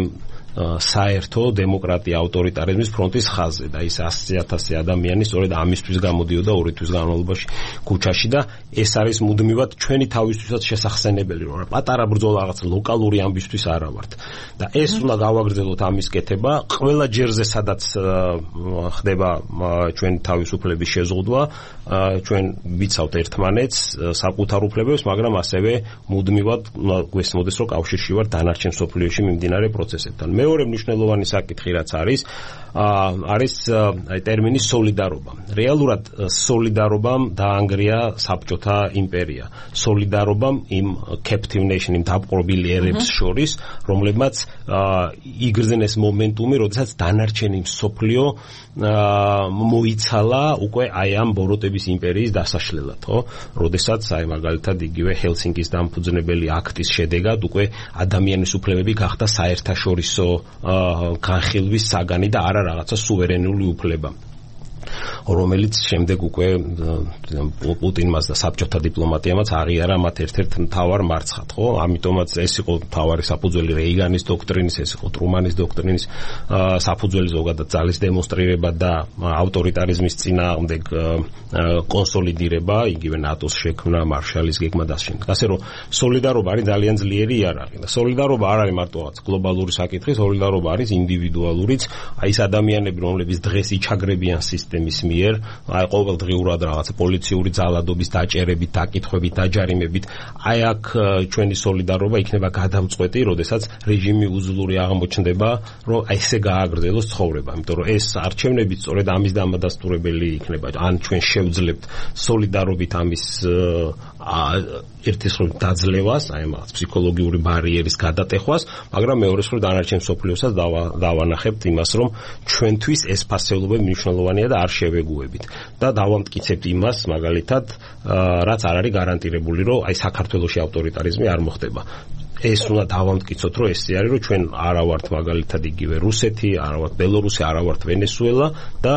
საერთო დემოკრატია ავტორიტარიზმის ფრონტის ხაზზე და ის 100,000 ადამიანი სწორედ ამისთვის გამოდიოდა 2 თვის განმავლობაში ქუჩაში და ეს არის მუდმივად ჩვენი თავისთვისაც შესახსენებელი, რომ პატარა ბრძოლა რაღაც ლოკალური ამბისთვის არა ვართ და ეს უნდა გავაგრძელოთ ამის კეთება ყველა ჯერზე, სადაც ხდება ჩვენი თავისუფლების შეზღუდვა, ჩვენ ვიცავთ ერთმანეთს საკუთარ უფლებებს, მაგრამ ასევე მუდმივად გვესმოდეს, რომ კავშირში ვართ დანარჩენ მსოფლიოში მიმდინარე პროცესებთან. მეორე მნიშვნელოვანი საკითხი რაც არის აი ტერმინი სოლიდარობა. რეალურად სოლიდარობამ დაანგრია საბჭოთა იმპერია. სოლიდარობამ იმ captive nation, იმ დაპყრობილ ერებს შორის, რომლებმაც იგრძნეს მომენტუმი, როდესაც დანარჩენი მსოფლიო მოიცალა უკვე აი ამ ბოროტების იმპერიის დასაშლელად, ხო? როდესაც აი მაგალითად იგივე ჰელსინკის დამფუძნებელი აქტის შედეგად უკვე ადამიანის უფლებები გახდა საერთაშორისო განხილვის საგანი და არა რაღაცა სუვერენული უფლება, რომელიც შემდეგ უკვე პუტინმაც და საბჭოთა დიპლომატიამაც აღიარა მათ ერთ-ერთ მთავარ მარცხად, ხო? ამიტომაც ეს იყო მთავარი საფუძველი რეიგანის დოქტრინის, ეს იყო ტრუმანის დოქტრინის საფუძველი, ზოგადად ძალის დემონსტრირება და ავტორიტარიზმის წინააღმდეგ კონსოლიდირება, იგივე ნატოს შექმნა, მარშალის გეგმა და შემდეგ. ასე რომ სოლიდარობა არის ძალიან ძლიერი იარაღი და სოლიდარობა არ არის მარტო რაღაც გლობალური საკითხი, სოლიდარობა არის ინდივიდუალურიც, აი ეს ადამიანები, რომლებიც დღეს იჩაგრებიან სისტემის მიერ, აი ყოველდღიურად რაღაცა პოლიციური ძალადობის დაჭერებით, დაკითხვებით, დაჯარიმებით, აი აქ ჩვენი სოლიდარობა იქნება გადამწყვეტი, როდესაც რეჟიმი უძლური აღმოჩნდება, რომ აი ესე გააგრძელოს ცხოვრება, იმიტომ რომ ეს არჩევნები სწორედ ამის დამადასტურებელი იქნება. ან ჩვენ შევძლებთ სოლიდარობით ამის ერთის მხრივ დაძლევას, აი მაგ ფსიქოლოგიური ბარიერის გადატეხვას, მაგრამ მეორეს მხრივ დანარჩენ მსოფლიოსაც დავანახებთ იმას, რომ ჩვენთვის ეს ფასეულობები მნიშვნელოვანია და არ შევეგუებით და დავამტკიცებთ იმას, მაგალითად, რაც არ არის გარანტირებული, რომ აი საქართველოში ავტორიტარიზმი არ მოხდება. ეს უნდა დავამტკიცოთ, რომ ესე არის, რომ ჩვენ არა ვართ მაგალითად იგივე რუსეთი, არა ვართ ბელორუსი, არა ვართ ვენესუელა და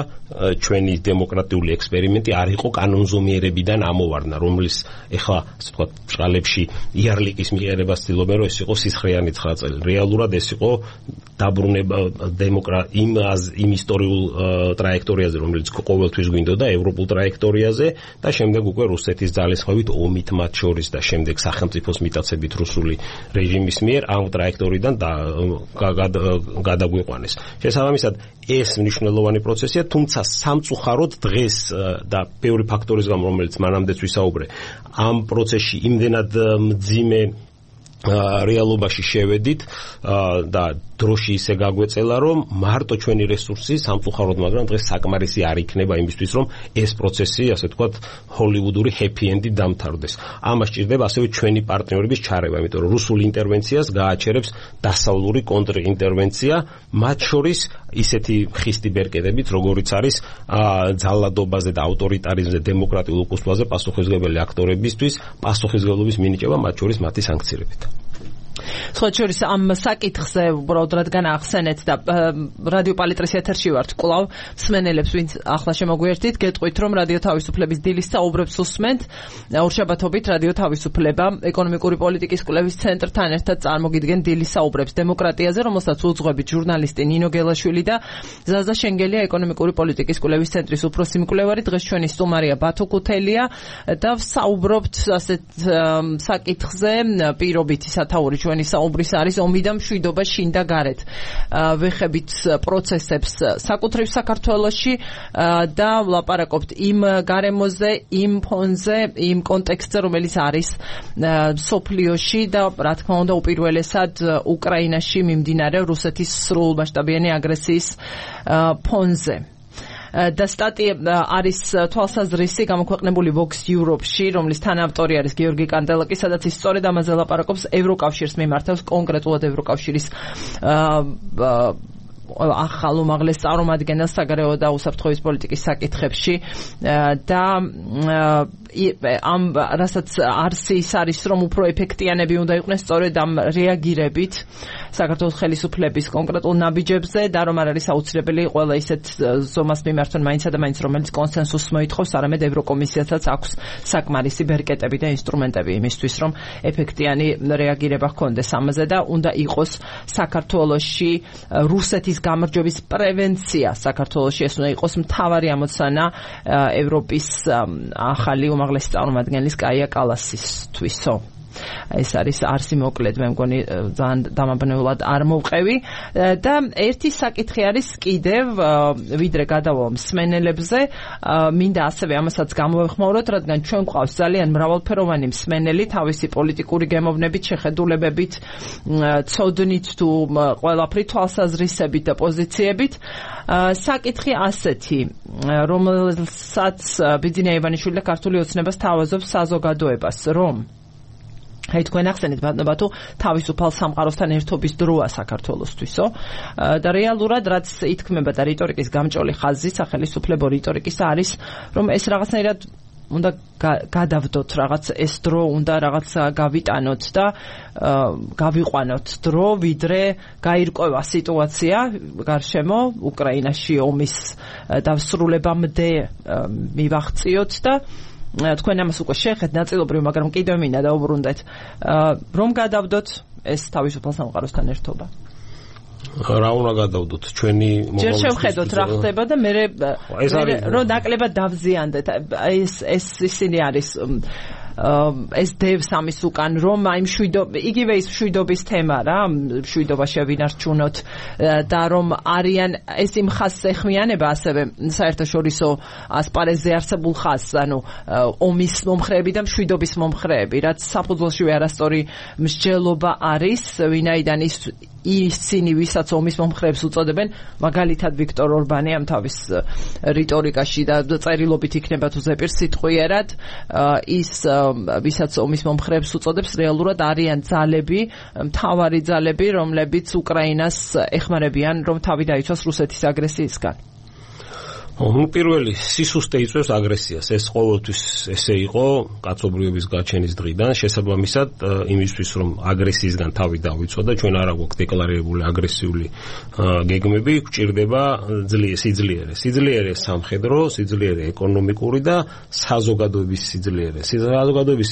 ჩვენი დემოკრატიული ექსპერიმენტი არ იყო კანონზომიერებიდან ამოვარდნა, რომლის ეხლა ასე ვთქვათ ბრალებში იარლიკის მიღერებას ცდილობენ, რომ ეს იყო სისხლიანი 9 წელი. რეალურად ეს იყო დაბრუნება იმ ისტორიულ ტრაექტორიაზე, რომელიც ყოველთვის გვინდოდა ევროპულ ტრაექტორიაზე და შემდეგ უკვე რუსეთის ძალისხმევით ომით მათ შორის და შემდეგ სახელმწიფოს მიტაცებით რუსული რეჟიმის მიერ ამ ტრაექტორიდან გადაგვიყვანეს. შესაბამისად, ეს მნიშვნელოვანი პროცესია, თუმცა სამწუხაროდ დღეს და ბევრი ფაქტორის გამო, რომელიც მანამდეც ვისაუბრე, ამ პროცესში იმდენად მძიმე რეალობაში შევედით და დროში ისე გაგვეწელა, რომ მარტო ჩვენი რესურსი სამწუხაროდ, მაგრამ დღეს საკმარისი არ იქნება იმისთვის, რომ ეს პროცესი, ასე ვთქვათ, ჰოლივუდური happy end-ით დამთავრდეს. ამას სჭირდება ასევე ჩვენი პარტნიორების ჩარევა, იმიტომ რომ რუსულ ინტერვენციას გააჩერებს დასავლური კონტრინტერვენცია, მათ შორის ისეთი ხისტი ბერკეტებით, როგორიც არის ძალადობაზე და ავტორიტარიზმზე, დემოკრატიულ უკუსვლაზე პასუხისმგებელი აქტორებისთვის პასუხისმგებლობის მინიჭება, მათ შორის მათი სანქციებით. სხვა შორის ამ საკითხზე უბრალოდ რადგან ახსენეთ და რადიო პალიტრის ეთერში ვართ კვლავ მსმენელებს ვინც ახლა შემოგვიერთით გეტყვით რომ რადიო თავისუფლების დილის საუბრებს უსმენთ ორშაბათობით რადიო თავისუფლება ეკონომიკური პოლიტიკის კვლევის ცენტრთან ერთად წარმოგიდგენ დილის საუბრებს დემოკრატიაზე რომელსაც უძღვებით ჟურნალისტი ნინო გელაშვილი და ზაზა შენგელია ეკონომიკური პოლიტიკის კვლევის ცენტრის უფროსი მკვლევარი დღეს ჩვენი სტუმარია ბათო კუთელია და საუბრობთ ასეთ საკითხზე პირობითი სათაური ჩვენი საუბრის არის ომი და მშვიდობა შინ და გარეთ. ვეხებით პროცესებს საკუთრივ საქართველოში და ვლაპარაკობთ იმ გარემოზე, იმ ფონზე, იმ კონტექსტზე, რომელიც არის სოფლიოში და რა თქმა უნდა უპირველესად უკრაინაში მიმდინარე რუსეთის სრულმასშტაბიანი აგრესიის ფონზე. და სტატია არის თვალსაზრისი გამოქვეყნებული Vox Europe-ში, რომლის თანაავტორი არის გიორგი კანდელაკი, სადაც ის სწორედ ამაზე ლაპარაკობს ევროკავშირს მიმართავს, კონკრეტულად ევროკავშირის ახალ უმაღლეს წარმომადგენელს საგარეო და უსაფრთხოების პოლიტიკის საკითხებში და ამ რასაც არსის არის რომ უფრო ეფექტიანები უნდა იყვნენ სწორედ ამ რეაგირებით საქართველოს ხელისუფლების კონკრეტულ ნაბიჯებზე და რომ არ არის აუცილებელი ყველა ისეთ ზომას მიმართონ მაინც და მაინც რომელიც კონსენსუსს მოითხოვს, არამედ ევროკომისიასაც აქვს საკმარისი ბერკეტები და ინსტრუმენტები იმისთვის რომ ეფექტიანი რეაგირება ჰქონდეს ამაზე და უნდა იყოს საქართველოში რუსეთის გამარჯვების პრევენცია საქართველოში ეს უნდა იყოს მთავარი ამოცანა ევროპის ახალი უმაღლესი წარმომადგენლის კაია კალასისთვისო. ეს არის არსი მოკლედ მე მგონი ძალიან დამაბნეულად არ მოვყევი და ერთი საკითხი არის კიდევ ვიდრე გადავალ მსმენელებზე მინდა ასევე ამასაც გამოვეხმაუროთ რადგან ჩვენ გვყავს ძალიან მრავალფეროვანი მსმენელი თავისი პოლიტიკური გემოვნებით შეხედულებებით ცოდნით თუ ყველაფრით თვალსაზრისებით და პოზიციებით საკითხი ასეთი რომელსაც ბიძინა ივანიშვილი და ქართული ოცნებას თავაზობს საზოგადოებას რომ აი თქვენ ახსენეთ ბატონო თავისუფალ სამყაროსთან ერთობის დროა საქართველოსთვისო და რეალურად რაც ითქმება და რიტორიკის გამჭოლი ხაზი სახელისუფლებო რიტორიკის არის რომ ეს რაღაცნაირად უნდა გადავდოთ რაღაც ეს დრო უნდა რაღაც გავიტანოთ და გავიყვანოთ დრო ვიდრე გაირკვევა სიტუაცია გარშემო უკრაინაში ომის დასრულებამდე მივაღწიოთ და თქვენ ამას უკვე შეეხეთ ნაწილობრივ, მაგრამ კიდევ მინდა დაუბრუნდეთ, რომ გადავდოთ ეს თავისუფალ სამყაროსთან ერთობა. რა უნდა გადავდოთ ჩვენი მომავლის ჯერ შევხედოთ რა ხდება და მე რომ ნაკლებად დავზიანდეთ ეს ისინი არის ეს დევს ამის უკან რომ აი იგივე ის მშვიდობის თემა რა მშვიდობა შევინარჩუნოთ და რომ არიან ეს იმ ხაზს ეხმიანება ასევე საერთაშორისო ასპარეზზე არსებულ ხაზს ანუ ომის მომხრეები და მშვიდობის მომხრეები რაც საფუძველშივე არასწორი მსჯელობა არის ვინაიდან ისინი ვისაც ომის მომხრეებს უწოდებენ მაგალითად ვიქტორ ორბანი ამ თავის რიტორიკაში და წერილობით იქნება თუ ზეპირ სიტყვიერად ის ვისაც ომის მომხრეებს უწოდებს რეალურად არიან ძალები მთავარი ძალები რომლებიც უკრაინას ეხმარებიან რომ თავი დაიცვას რუსეთის აგრესიისგან პირველი სისუსტე იწვევს აგრესიას ეს ყოველთვის ესე იყო კაცობრიობის გაჩენის დღიდან შესაბამისად იმისთვის რომ აგრესიისგან თავი დავიცვა და ჩვენ არ აგვაქვს დეკლარირებული აგრესიული გეგმები გვჭირდება სიძლიერე სამხედრო სიძლიერე ეკონომიკური და საზოგადოების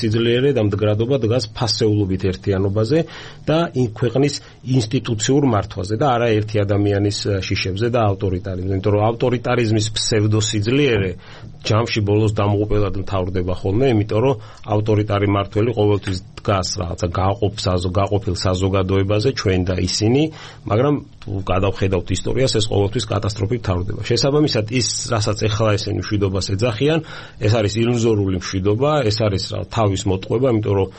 სიძლიერე და მდგრადობა დგას ფასეულობით ერთიანობაზე და ქვეყნის ინსტიტუციურ მართვაზე და არა ერთი ადამიანის შიშებზე და ავტორიტარიზმზე იმიტომ რომ ავტორიტარიზმის ფსევდოსიძლიერე ჯამში ბოლოს დამოუკიდებლად მთავრდება ხოლმე, იმიტომ რომ ავტორიტარი მმართველი ყოველთვის დგას რაღაცა გაყოფილ საზოგადოებაზე ჩვენ და ისინი, მაგრამ თუ გადავხედავთ ისტორიას, ეს ყოველთვის კატასტროფით მთავრდება. შესაბამისად, ის რასაც ეხლა ესენი მშვიდობას ეძახიან, ეს არის ილუზორული მშვიდობა, ეს არის თავის მოტყვება, იმიტომ რომ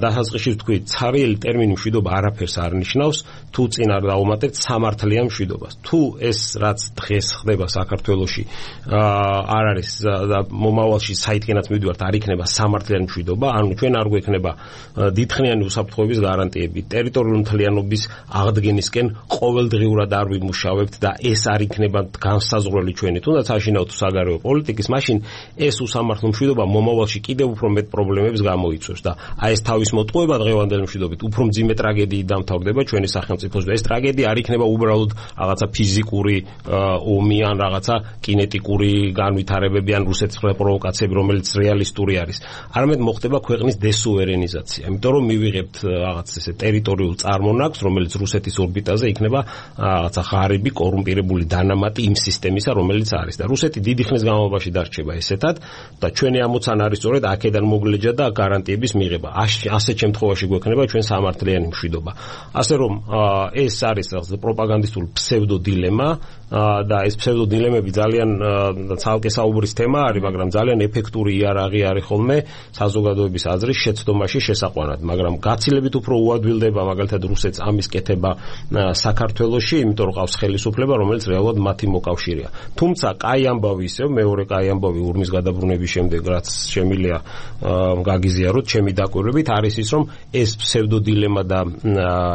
დასაწყისში ვთქვი, ცარიელი ტერმინი მშვიდობა არაფერს არ ნიშნავს, თუ წინ არ დავუმატებთ სამართლიან მშვიდობას. თუ ეს რაც დღეს ხდება საქართველოში არ არის და მომავალში საითქენაც მივიდივართ, არ იქნება სამართლიანი მშვიდობა, ანუ ჩვენ არ გვექნება დიდხნიანი უსაფრთხოების გარანტიები, ტერიტორიული მთლიანობის აღდგენისკენ ყოველდღიურად არ ვიმუშავებთ და ეს არ იქნება განსაზღვრელი ჩვენი, თუნდაც აშინაოთ საგარეო პოლიტიკის, მაშინ ეს უსამართლო მშვიდობა მომავალში კიდევ უფრო მეტ პრობლემებს გამოიწვევს და აი ეს თავის მოტყუება დღევანდელი მშვიდობით უფრო მძიმე ტრაგედიით დამთავრდება ჩვენი სახელმწიფოს და ეს ტრაგედია არ იქნება უბრალოდ რაღაცა ფიზიკური ომი ან რაღაცა კინეტიკური განვითარებები ან რუსეთის პროვოკაციები, რომელიც რეალისტური არის. არამედ მოხდება ქვეყნის დესუვერენიზაცია, იმიტომ რომ მივიღებთ რაღაც ესე ტერიტორიულ წარმონაქმს, რომელიც რუსეთის ორბიტაზე იქნება რაღაცა ღარიბი, კორუმპირებული დანამატი იმ სისტემისა, რომელიც არის და რუსეთი დიდი ხნის განმავლობაში დარჩება ესეთად და ჩვენი ამოცანა არის სწორედ აქედან მოგლეჯა და გარანტიების მიღება. ასეთ შემთხვევაში გვექნება ჩვენ სამართლიანი მშვიდობა. ასე რომ ეს არის რაღაცა პროპაგანდისტული ფსევდო დილემა და ეს ფსევდო დილემები ძალიან ცალკე საუბრის თემა არის, მაგრამ ძალიან ეფექტური იარაღი არის ხოლმე საზოგადოების აზრის შეცდომაში შესაყვანად, მაგრამ გაცილებით უფრო უადვილდება მაგალითად რუსეთს ამის კეთება საქართველოში, იმიტომ რომ ყავს ხელისუფლება, რომელიც რეალურად მათი მოკავშირეა. თუმცა კაი ამბავი ისევ, მეორე კაი ამბავი ურმის გადაბრუნების შემდეგ, რაც შემილია გაგიზიაროთ ჩემი დაკვირვებით, არის ის, რომ ეს ფსევდო დილემა და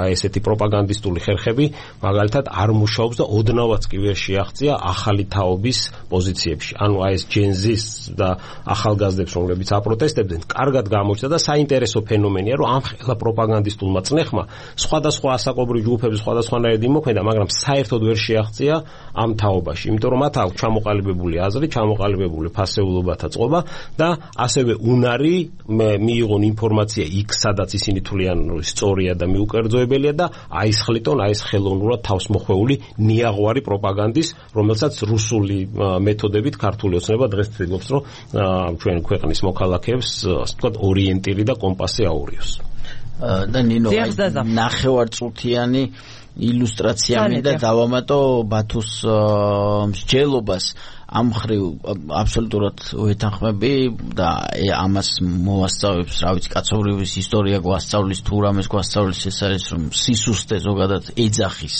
ესეთი პროპაგანდისტული ხერხები მაგალითად არ მუშაობს და ოდნავაც კი ვერ შეაღწია ახალი თაობის პოზიციებში. ანუ აი ეს ჯენზის და ახალგაზრდებს, რომლებიც აპროტესტებდნენ, კარგად გამოჩნდა და საინტერესო ფენომენია, რომ ამ ხელა პროპაგანდისტულმა წნეხმა სხვადასხვა ასაკობრივ ჯგუფების სხვადასხვანაირად იმოქმედა, მაგრამ საერთოდ ვერ შეაღწია ამ თაობაში, იმიტომ რომ მათ აქვს ჩამოყალიბებული აზრი, ჩამოყალიბებული ფასეულობათა წყობა და ასევე უნარი მიიღონ ინფორმაცია იქ, სადაც ისინი თვლიან, რომ სწორია და მიუკერძოებელია და აისხლიტონ აი ეს ხელოვნურად თავსმოხვეული ნიაღვარი პროპაგანდის, რომელსაც რუსული მეთოდებით ქართული ოცნება დღეს ცდილობს, რომ ჩვენ ქვეყნის მოქალაქეებს, ასე ვთქვათ, ორიენტირი და კომპასი აურიოს. და ნინო, ნახევარწუთიანი ილუსტრაცია მინდა დავამატო ბათუს მსჯელობას. ამ ხრივ აბსოლუტურად ვეთანხმები და ამას მოვასწავლებს, რა ვიცი, კაცობრიობის ისტორია გვასწავლის, თუ რამეს გვასწავლის, ეს არის რომ სისუსტე ზოგადად ეძახის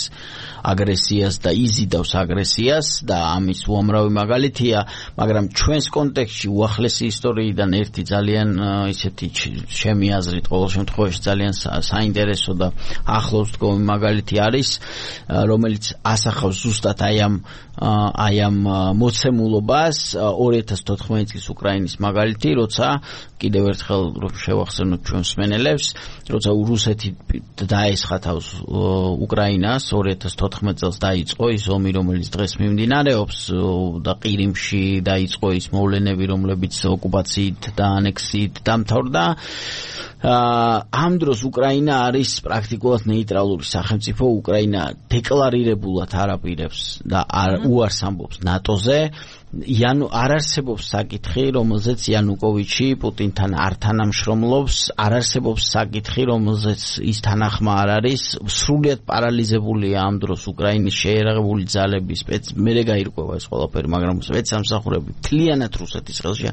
აგრესიას და იზიდავს აგრესიას და ამის უამრავი მაგალითია, მაგრამ ჩვენს კონტექსტში უახლესი ისტორიიდან ერთი ძალიან ისეთი ჩემი აზრით ყოველ შემთხვევაში ძალიან საინტერესო და ახლოს დგომი მაგალითი არის, რომელიც ასახავს ზუსტად აი ამ მოცემულობას 2014 წლის უკრაინის მაგალითი, როცა კიდევ ერთხელ შევახსენოთ ჩვენს მსმენელებს, როცა რუსეთი დაესხა თავს უკრაინას 2014 წელს დაიწყო ის ომი, რომელიც დღეს მიმდინარეობს და ყირიმში დაიწყო ის მოვლენები, რომლებიც ოკუპაციით და ანექსიით დამთავრდა. ამ დროს უკრაინა არის პრაქტიკულად ნეიტრალური სახელმწიფო. უკრაინა დეკლარირებულად არ აპირებს და უარს ამბობს ნატოზე. არ არსებობს საკითხი, რომელზეც იანუკოვიჩი პუტინთან არ თანამშრომლობს, არ არსებობს საკითხი, რომელზეც ის თანახმა არ არის. სრულიად პარალიზებულია ამ დროს უკრაინის შეერაღებული ძალები, მერე გაირკვევა ეს ყველაფერი, მაგრამ სპეცსამსახურები მთლიანად რუსეთის ხელში.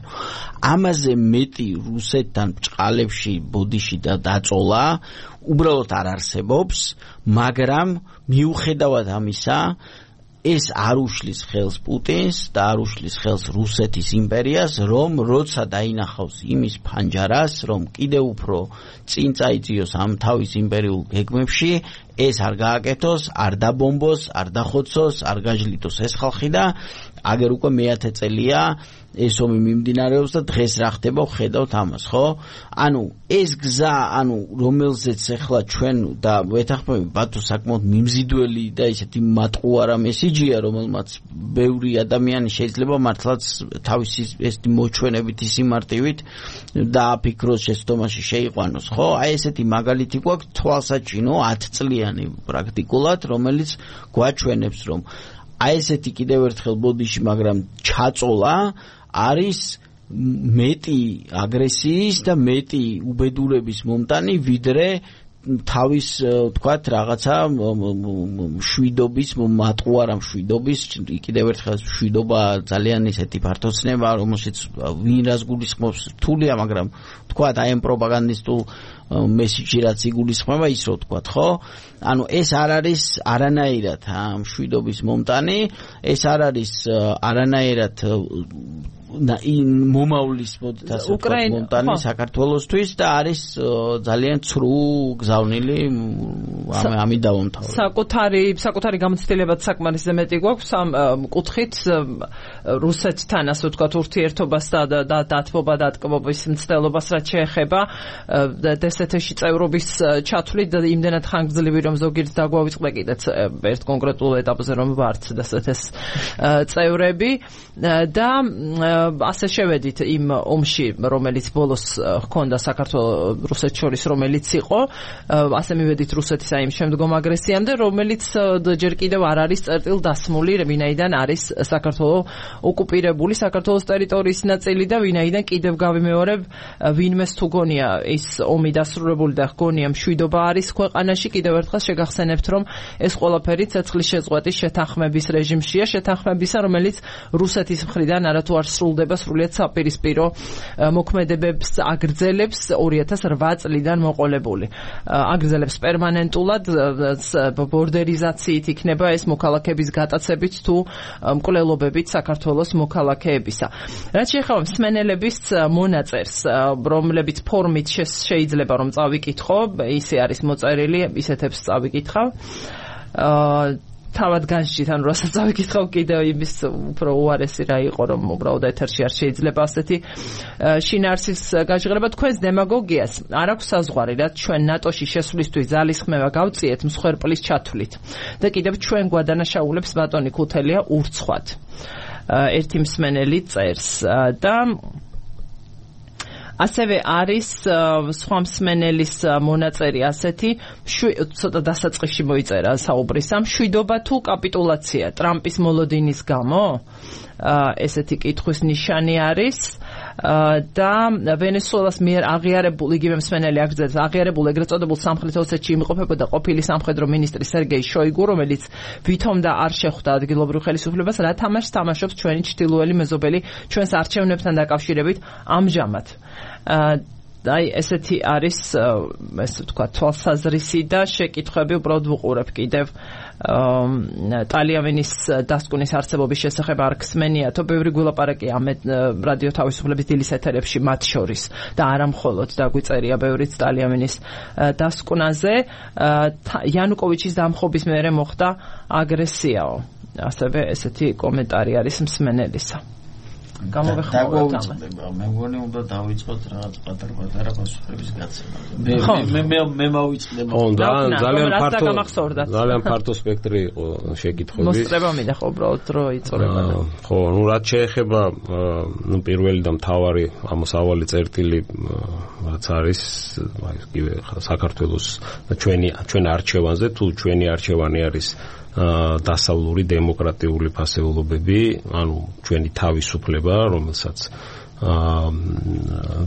ამაზე მეტი რუსეთთან ბჭყალებში, ბოდიში და დაწოლა უბრალოდ არ არსებობს, მაგრამ მიუხედავად ამისა ეს არ უშლის ხელს პუტინს და არ უშლის ხელს რუსეთის იმპერიას, რომ როცა დაინახავს იმის ფანჯარას, რომ კიდევ უფრო წინ წაიწიოს ამ თავის იმპერიულ გეგმებში, ეს არ გააკეთოს, არ დაბომბოს, არ დახოცოს, არ გაჯლიტოს ეს ხალხი და აგერ უკვე მე-10 წელია ეს ომი მიმდინარეობს და დღეს რა ხდება, ხედავთ ამას, ხო? ანუ ეს გზა, რომელზეც ახლა ჩვენ და ვეთანხმები ბათუ საკმაოდ მიმზიდველი და ისეთი მატყუარა მესიჯია, რომელმაც ბევრი ადამიანი შეიძლება მართლაც თავისი ეს მოჩვენებითი სიმარტივით დააფიქროს, შეცდომაში შეიყვანოს, ხო? აი ესეთი მაგალითი გვაქვს თვალსაჩინო 10 წლიანი პრაქტიკულად, რომელიც გვაჩვენებს, რომ აი ესეთი კიდევ ერთხელ ბოდიში, მაგრამ ჩაწოლა არის მეტი აგრესიის და მეტი უბედურების მომტანი ვიდრე თავის თქვათ რაღაცა შვიდობის მატყუარა მშვიდობის კიდევ ერთხელ შვიდობა ძალიან ისეთი ფართოცნება რომელშიც ვინ რას გულისხმობს რთულია მაგრამ თქვათ აი ამ პროპაგანდისტულ მესიჯი რაც იგულისხმება ის რო თქვათ ხო ანუ ეს არ არის არანაირად მშვიდობის მომტანი ეს არ არის არანაირად მომავლის მომტანი საქართველოსთვის და არის ძალიან ცრუ გზავნილი ამით დავამთავრე. საკუთარი გამოცდილებაც საკმარისზე მეტი გვაქვს ამ კუთხით რუსეთთან ასე ვთქვათ ურთიერთობას და დათბობა დატკბობის მცდელობას რაც შეეხება დსთ-ში წევრობის ჩათვლით და იმდენად ხანგრძლივი რომ ზოგიერთ დაგვავიწყდა კიდეც ერთ კონკრეტულ ეტაპზე რომ ვართ დსთ-ის წევრები და ასე შევედით იმ ომში რომელიც ბოლოს ჰქონდა საქართველოს რუსეთს შორის რომელიც იყო ასე მივედით რუსეთის აი იმ შემდგომ აგრესიამდე რომელიც ჯერ კიდევ არ არის წერტილ დასმული ვინაიდან არის საქართველოს ოკუპირებული საქართველოს ტერიტორიის ნაწილი და ვინაიდან კიდევ გავიმეორებ ვინმეს თუ გონია ის ომი დასრულებული და გონია მშვიდობა არის ქვეყანაში კიდევ ერთხელ შეგახსენებთ რომ ეს ყველაფერი ცეცხლის შეწყვეტის შეთანხმების რეჟიმშია შეთანხმებისა რომელიც რუსეთის მხრიდან არათუ არ სრულდება სრულიად საპირისპირო მოქმედებებს აგრძელებს 2008 წლიდან მოყოლებული აგრძელებს პერმანენტულად ბორდერიზაციით იქნება ეს მოქალაქეების გატაცებით თუ მკვლელობებით საქართველოს მოქალაქეებისა რაც შეეხება მსმენელების მონაწერს რომლებიც ფორმით შეიძლება რომ წავიკითხო ისე არის მოწერილი ისეთებს წავიკითხავ თავად განსჯით ანუ რასაც წავიკითხავ კიდევ იმის უფრო უარესი რა იყო რომ უბრალოდ ეთერში არ შეიძლება ასეთი შინაარსის გაჟღერება თქვენს დემაგოგიას არ აქვს საზღვარი რაც ჩვენ ნატოში შესვლისთვის ძალისხმევა გავწიეთ მსხვერპლის ჩათვლით და კიდევ ჩვენ გვადანაშაულებს ბატონი ქუთელია ურცხვად ერთი მსმენელი წერს და ასევე არის სხვა მსმენელის მონაწერი ასეთი ცოტა დასაწყისში მოიწერა საუბრისა მშვიდობა თუ კაპიტულაცია ტრამპის მოლოდინის გამო ესეთი კითხვის ნიშანი არის და ვენესუელას მიერ აღიარებულ იგივე მსმენელი აგრძელებს აღიარებულ ეგრეთ წოდებულ სამხრეთ ოსეთში იმყოფებოდა ყოფილი სამხედრო მინისტრი სერგეი შოიგუ რომელიც ვითომ და არ შეხვდა ადგილობრივ ხელისუფლებას რა თამაშს თამაშობს ჩვენი ჩრდილოელი მეზობელი ჩვენს არჩევნებთან დაკავშირებით ამჟამად აი ესეთი არის ესე ვთქვა თვალსაზრისი და შეკითხვები უბრალოდ ვუყურებ კიდევ ტალიანის დასკვნის არსებობის შესახებ არ ხსმენიათო ბევრი გულაპარაკი ამ რადიო თავისუფლების დილის ეთერებში მათ შორის და არა მხოლოდ დაგვიწერია ბევრიც ტალიანის დასკვნაზე იანუკოვიჩის დამხობის მერე მოხდა აგრესიაო ასევე ესეთი კომენტარი არის მსმენელისა გამოვეხმაურეთ მე მგონი უნდა დავიწყოთ რაღაც პატარ-პატარა პასუხების გაცემა მე მოვიწყდება ძალიან ფართო სპექტრი იყო შეკითხვების მოსწრება მინდა ხო უბრალოდ დრო იწურება ხო ნუ რაც შეეხება ნუ პირველი და მთავარი ამოსავალი წერტილი რაც არის აი კიდე საქართველოს ჩვენ არჩევანზე თუ ჩვენი არჩევანი არის დასავლური დემოკრატიული ფასეულობები, ანუ ჩვენი თავისუფლება, რომელსაც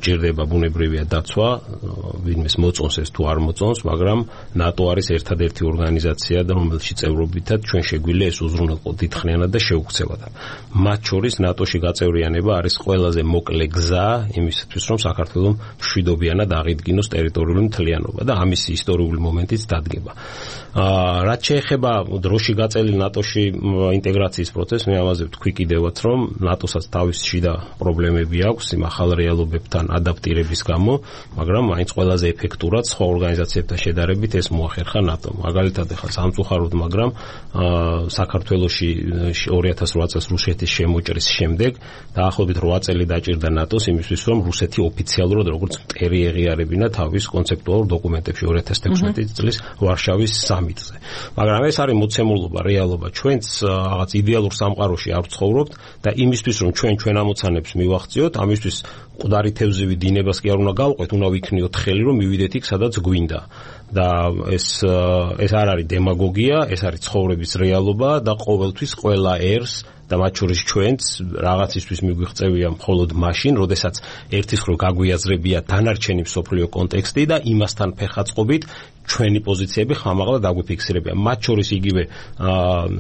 ჭირდება ბუნებრივია დაცვა, ვინმეს მოწონს ეს თუ არ მოწონს, მაგრამ ნატო არის ერთადერთი ორგანიზაცია და რომელშიც წევრობითად ჩვენ შეგვიძლია ეს უზრუნველყო დიდხნიანად და შეუქცევად. მათ შორის ნატოში გაწევრიანება არის ყველაზე მოკლე გზა იმისთვის, რომ საქართველოს მშვიდობიანად აღიდგინოს ტერიტორიული მთლიანობა და ამის ისტორიული მომენტიც დადგება. რაც შეეხება დროში გაწელი ნატოში ინტეგრაციის პროცესს, მე ამაზე ვთქვი კიდევაც, რომ ნატოსაც თავისი შიდა პრობლემები აქვს იმ ახალ რეალობებთან ადაპტირების გამო, მაგრამ მაინც ყველაზე ეფექტურად სხვა ორგანიზაციებთან შედარებით ეს მოახერხა ნატომ. მაგალითად, ახლა სამწუხაროდ, მაგრამ საქართველოში 2008 წელს რუსეთის შემოჭრის შემდეგ დაახლოებით 8 წელი დაჭირდა ნატოს იმისთვის, რომ რუსეთი ოფიციალურად როგორც მტერი ეღიარებინა თავის კონცეპტუალურ დოკუმენტებში 2016 წლის ვარშავის სამიტზე. მაგრამ ეს არის მოცემულობა, რეალობა. ჩვენც რაღაც იდეალურ სამყაროში არ ვცხოვრობთ და იმისთვის, რომ ჩვენ ამოცანებს მივახციოთ, ამისთვის მკვდარი თევზივი დინებას კი არ უნდა გავყვეთ, უნდა ვიქნიოთ ხელი, რომ მივიდეთ იქ, სადაც გვინდა. და ეს არ არის დემაგოგია, ეს არის ცხოვრების რეალობა და ყოველთვის ყველა ერს და მათ შორის ჩვენც რაღაცისთვის მიგვიღწევია მხოლოდ მაშინ, როდესაც ერთის მხრივ გაგვიაზრებია დანარჩენი მსოფლიო კონტექსტი და იმასთან ფეხაწყობით ჩვენი პოზიციები ხმამაღლა დაგვიფიქსირებია. მათ შორის იგივე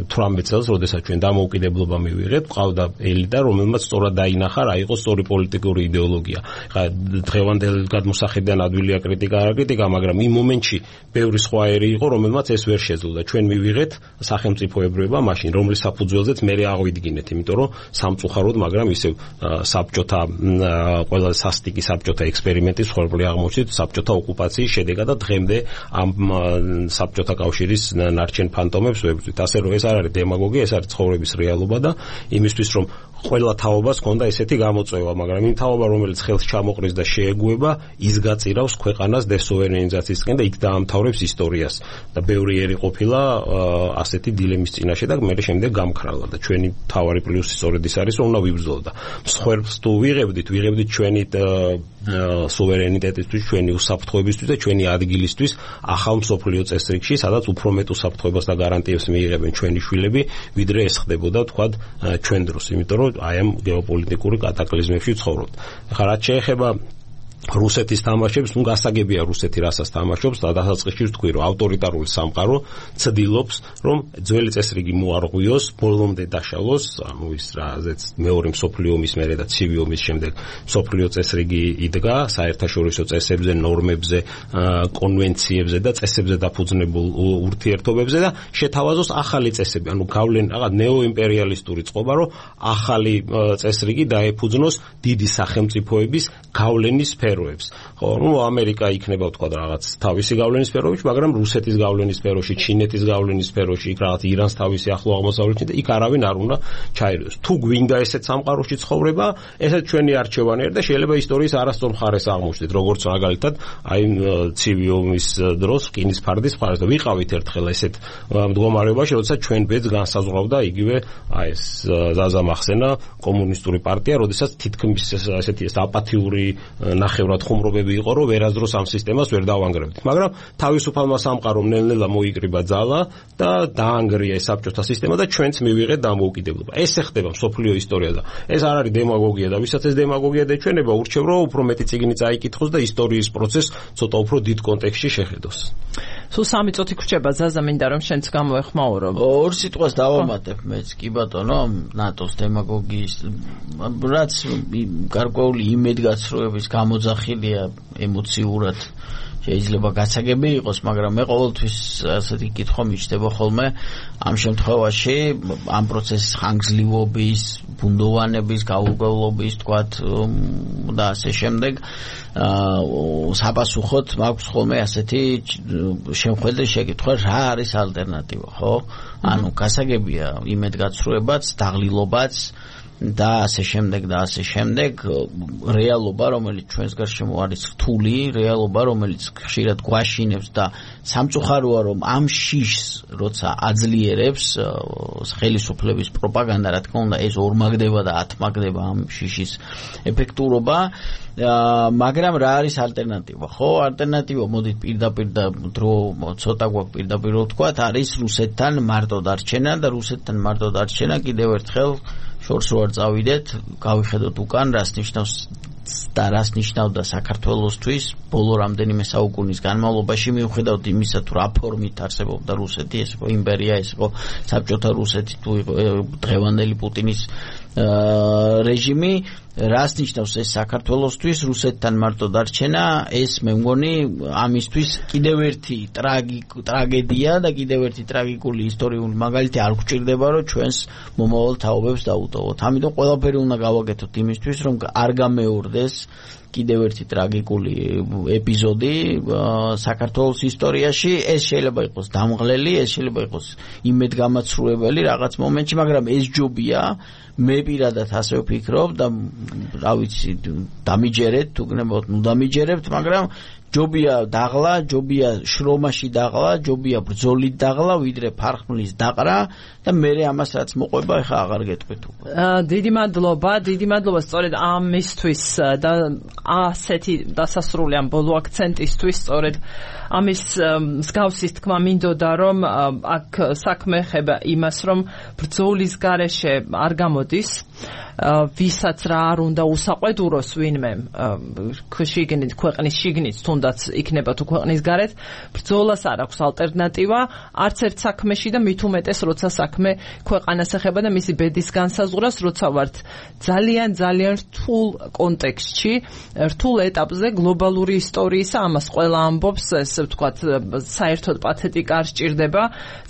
18 წელს, როდესაც ჩვენ დამოუკიდებლობა მივიღეთ, ყავდა ელიტა, რომელმაც სწორად დაინახა რა იყო სწორი პოლიტიკური იდეოლოგია. ხა დღევანდელ გადმოსახედიდან ადვილია კრიტიკა, არა კრიტიკა, მაგრამ იმ მომენტში ბევრი სხვა ერი იყო, რომელმაც ეს ვერ შეძლო და ჩვენ მივიღეთ სახელმწიფოებრიობა მაშინ, რომლის საფუძველზეც მე ავიდგინეთ, იმიტომ რომ სამწუხაროდ, მაგრამ ისევ საბჭოთა ყველა სასტიკი საბჭოთა ექსპერიმენტის ხორბლი აღმოჩნდით საბჭოთა ოკუპაციის შედეგად და დღემდე ამ საბჭოთა კავშირის ნარჩენ ფანტომებს ვებრძვით. ასე რომ ეს არ არის დემაგოგია, ეს არის ცხოვრების რეალობა და იმისთვის რომ ყველა თაობას ჰქონდა ესეთი გამოწვევა, მაგრამ იმ თაობა რომელიც ხელს ჩამოყრის და შეეგუება, ის გაწირავს ქვეყანას დესუვერენიზაციისკენ და იქ დაამთავრებს ისტორიას. და ბევრი ერი ყოფილა ასეთი დილემის წინაშე და მე შემდეგ გამქრალა და ჩვენი თავარი პლუსი სწორედ ის არის, რომ უნდა ვიბრძოლოთ და მსხვერპლს თუ ვიღებდით ჩვენი სუვერენიტეტისთვის, ჩვენი უსაფრთხოებისთვის და ჩვენი ადგილისთვის ახალ მსოფლიო წესრიგში, სადაც უფრო მეტ უსაფრთხოებას და გარანტიებს მიიღებენ ჩვენი შვილები, ვიდრე ეს ხდებოდა თქვათ ჩვენ დროს, იმიტომ რომ აი ამ გეოპოლიტიკური კატაკლიზმებში ცხოვრობთ. ახლა რაც შეეხება რუსეთის თამაშებს, ნუ გასაგებია რუსეთი რასაც თამაშობს და დასაწყისში ვთქვი, რომ ავტორიტარული სამყარო ცდილობს, რომ ძველი წესრიგი მოარღვიოს, ბოლომდე დაშალოს, ანუ ის რაზეც მეორე მსოფლიო ომის მერე და ცივი ომის შემდეგ მსოფლიო წესრიგი იდგა, საერთაშორისო წესებზე, ნორმებზე, კონვენციებზე და წესებზე დაფუძნებულ ურთიერთობებზე და შეთავაზოს ახალი წესები, ანუ რაღაც ნეოიმპერიალისტური წყობა, რომ ახალი წესრიგი დაეფუძნოს დიდი სახელმწიფოების გავლენის სფეროებს. ხო, ნუ ამერიკა იქნება თქვა რაღაც თავისი გავლენის სფეროში, მაგრამ რუსეთის გავლენის სფეროში, ჩინეთის გავლენის სფეროში, იქ რაღაც ირანს თავისი ახლო აღმოსავლეთში და იქ არავინ არ უნდა ჩაირიოს. თუ გვინდა ესეთ სამყაროში ცხოვრება, ესეც ჩვენი არჩევანი არის და შეიძლება ისტორიის არასწორ მხარეს აღმოჩნდეთ, როგორც მაგალითად, აი ცივი ომის დროს რკინის ფარდის მხარეს და ვიყავით ერთხელ ესეთ მდგომარეობაში, როდესაც ჩვენ ბედს განსაზღვრავდა იგივე აი ეს ზაზა მახსენა კომუნისტური პარტია, როდესაც თითქმის ესეთი აპათიური ნახევრად ხუმრობები იყო, რომ ვერასდროს ამ სისტემას ვერ დავანგრევდით. მაგრამ თავისუფალმა სამყარომ ნელ-ნელა მოიკრიბა ძალა და დაანგრია ეს საბჭოთა სისტემა და ჩვენც მივიღეთ დამოუკიდებლობა. ეს ხდება მსოფლიო ისტორია და ეს არ არის დემაგოგია და ვისაც ეს დემაგოგია დაჩვენება, ურჩევ რომ უფრო მეტი წიგნი წაიკითხოს და ისტორიის პროცესს ცოტა უფრო დიდ კონტექსტში შეხედოს. სულ 3 წუთი გრჩება, ზაზა, მინდა რომ შენც გამოეხმაურო. ორ სიტყვას დავამატებ მეც, კი ბატონო, ნატოს დემაგოგიის რაც გარკვეული იმედგაცრუების გამოძახილია ემოციურად შეიძლება გასაგები იყოს, მაგრამ მე ყოველთვის ასეთი კითხვა მიჩნდება ხოლმე ამ შემთხვევაში ამ პროცესის ხანგრძლივობის, ბუნდოვანების, გაურკვევლობის, თქვათ და ასე შემდეგ საპასუხოდ მაქვს ხოლმე ასეთი შემხედრე შეკითხვა, რა არის ალტერნატივა, ხო? ანუ გასაგებია იმედგაცრუებაც, დაღლილობაც და ასე შემდეგ და ასე შემდეგ რეალობა, რომელიც ჩვენს გარშემო არის რთული, რეალობა, რომელიც ხშირად გვაშინებს და სამწუხაროა, რომ ამ შიშს როცა აძლიერებს ხელისუფლების პროპაგანდა, რა თქმა უნდა, ეს ორმაგდება და ათმაგდება ამ შიშის ეფექტურობა. მაგრამ რა არის ალტერნატივა? ხო, ალტერნატივა მოდით პირდაპირ და დრო ცოტა გვაქვს პირდაპირ ვთქვათ, არის რუსეთთან მარტო დარჩენა და რუსეთთან მარტო დარჩენა კიდევ ერთხელ შორს რო არ წავიდეთ, გავიხედოთ უკან, რას ნიშნავს და რას ნიშნავდა საქართველოსთვის ბოლო რამდენიმე საუკუნის განმავლობაში, მიუხედავად იმისა, თუ რა ფორმით არსებობდა რუსეთი, ეს იყო იმპერია, ეს იყო საბჭოთა რუსეთი, თუ იყო დღევანდელი პუტინის რეჟიმი, რას ნიშნავს ეს საქართველოსთვის, რუსეთთან მარტო დარჩენა, ეს მე მგონი ამისთვის კიდევ ერთი ტრაგედია და კიდევ ერთი ტრაგიკული ისტორიული მაგალითი არ გვჭირდება, რომ ჩვენს მომავალ თაობებს დაუტოვოთ. ამიტომ ყველაფერი უნდა გავაკეთოთ იმისთვის, რომ არ გამეორდეს კიდევ ერთი ტრაგიკული ეპიზოდი საქართველოს ისტორიაში. ეს შეიძლება იყოს დამღლელი, ეს შეიძლება იყოს იმედგამაცრუებელი რაღაც მომენტში, მაგრამ ეს ჯობია. მე პირადად ასე ვფიქრობ და რა ვიცი, დამიჯერეთ, თუ გნებავთ, ნუ დამიჯერებთ, მაგრამ ჯობია დაღლა, ჯობია შრომაში დაღლა, ჯობია ბრძოლით დაღლა, ვიდრე ფარხმლის დაყრა და მე ამას რაც მოყვება, ეხა აღარ გეტყვით უკვე. დიდი მადლობა სწორედ ამისთვის და ასეთი დასასრული ამ ბოლო აქცენტისთვის სწორედ ამის მსგავსის თქმა მინდოდა რომ აქ საქმე ხება იმას რომ ბრძოლის გარეშე არ გამოდის ვისაც რა არ უნდა უსაყვედუროს ვინმე შიგნით ქვეყნის შიგნით თუნდაც იქნება თუ ქვეყნის გარეთ ბრძოლას არ აქვს ალტერნატივა არც ერთ საქმეში და მით უმეტეს როცა საქმე ქვეყანას ეხება და მისი ბედის განსაზღვრას როცა ვართ ძალიან რთულ კონტექსტში რთულ ეტაპზე გლობალური ისტორიისა ამას ყველა ამბობს ესე ვთქვათ საერთოდ პათეტიკა არ სჭირდება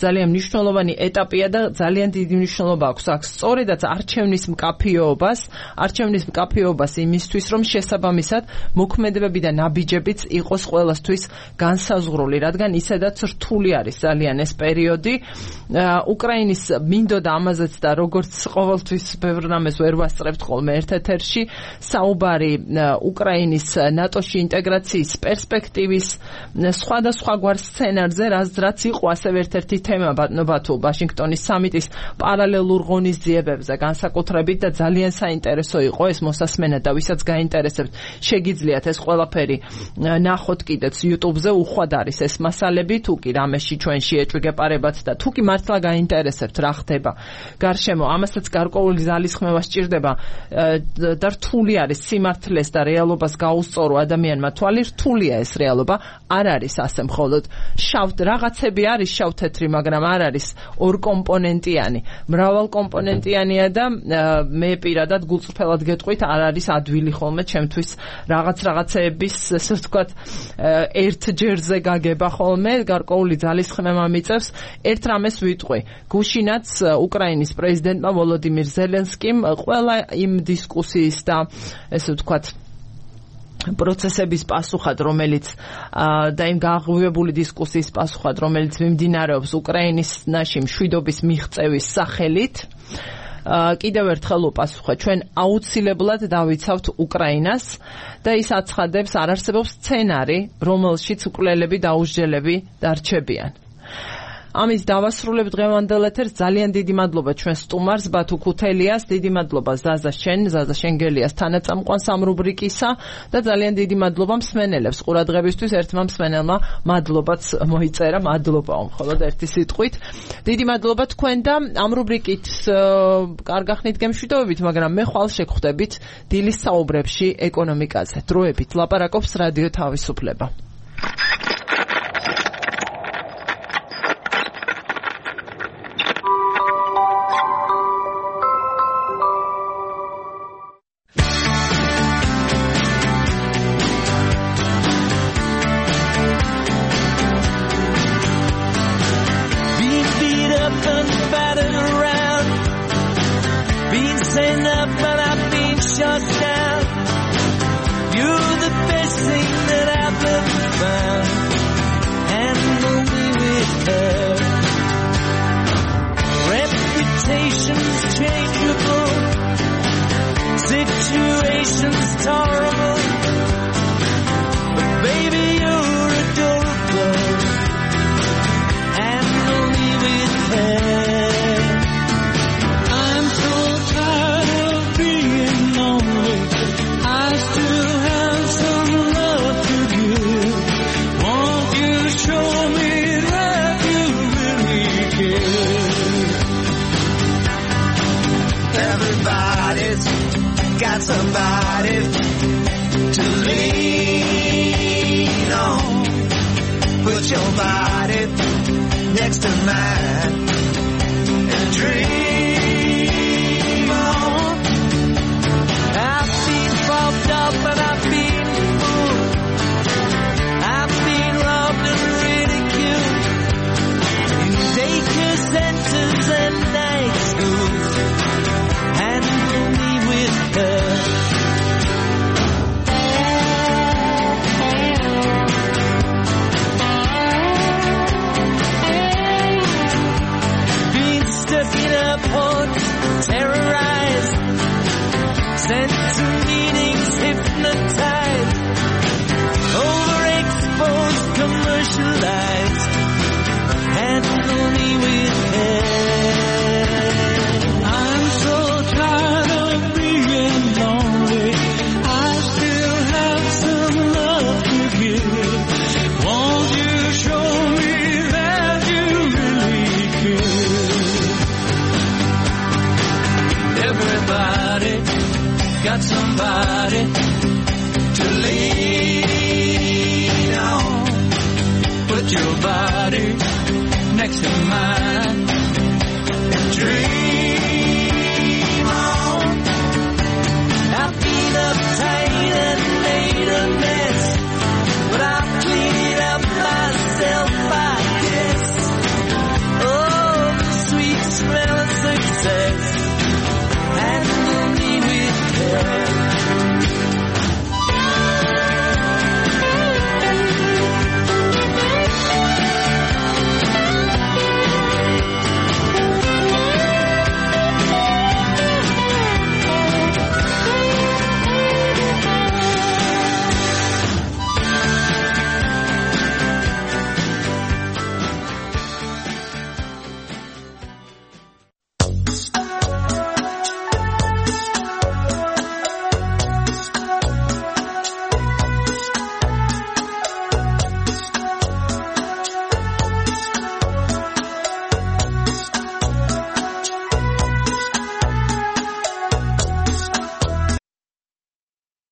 ძალიან მნიშვნელოვანი ეტაპია და ძალიან დიდი მნიშვნელობა აქვს აქ სწორედაც არჩევნის მკაფიობას იმისთვის რომ შესაბამისად მოქმედებები და ნაბიჯებიც იყოს ყველასთვის განსაზღვრული რადგან ისედაც რთული არის ძალიან ეს პერიოდი უკრაინის მინდოდა ამაზეც და როგორც ყოველთვის ბევრ რამეს ვერ ვასწრებთ ხოლმე ერთ-ერთში საუბარი უკრაინის ნატოში ინტეგრაციის პერსპექტივის სხვადასხვაგვარ სცენარზე რაც იყო ასევე ერთ-ერთი თემა ბატონობა თუ ვაშინგტონის სამიტის პარალელურ ღონისძიებებზე განსაკუთრებით და ძალიან საინტერესო იყო ეს მოსასმენა და ვისაც გაინტერესებთ შეგიძლიათ ეს ყველაფერი ნახოთ კიდეც YouTube-ზე უხვად არის ეს მასალები თუ კი რამეში ჩვენ შეეჭვგეპარებათ და თუ კი მართლა გაინტერესებთ რა ხდება გარშემო ამასაც გარკვეული ზალისხმევა სჭირდება და რთული არის სიმართლეს და რეალობას გაუსწორო ადამიანმა თვალი რთულია ეს რეალობა არ არის ასე მხოლოდ რაღაცები არის შავ-თეთრი მაგრამ არ არის ორკომპონენტიანი მრავალკომპონენტიანია და მე პირადად გულწრფელად გეტყვით არ არის ადვილი ხოლმე ჩემთვის რაღაცეების ესე ვთქვათ ერთ ჯერზე გაგება ხოლმე გარკვეული ძალისხმევა მიწევს ერთ რამეს ვიტყვი გუშინაც უკრაინის პრეზიდენტმა ვოლოდიმირ ზელენსკიმ ყველა იმ დისკუსიის და ესე ვთქვათ პროცესების პასუხად რომელიც და იმ გაღვივებული დისკუსიის პასუხად რომელიც მიმდინარეობს უკრაინაში მშვიდობის მიღწევის სახელით კიდევ ერთხელ უპასუხა ჩვენ აუცილებლად დავიცავთ უკრაინას და ის აცხადებს არ არსებობს სცენარი რომელშიც უკრაინელები დაუსჯელები დარჩებიან ამის დავასრულებ დღევანდელ ეთერს ძალიან დიდი მადლობა ჩვენ სტუმარს ბათუ ქუთელიას დიდი მადლობა ზაზა შენგელიას თანაწამყვანს ამ რუბრიკისა და ძალიან დიდი მადლობა მსმენელებს ყურადღებისთვის ერთმა მსმენელმა მადლობაც მოიწერა მადლობა მხოლოდ ერთი სიტყვით დიდი მადლობა თქვენ და ამ რუბრიკით კარგახნით გემშვიდობებით მაგრამ მე ხვალ შეგხვდებით დილის საუბრებში ეკონომიკაზე დროებით ლაპარაკობს რადიო თავისუფლება sent to meetings hypnotized over phone.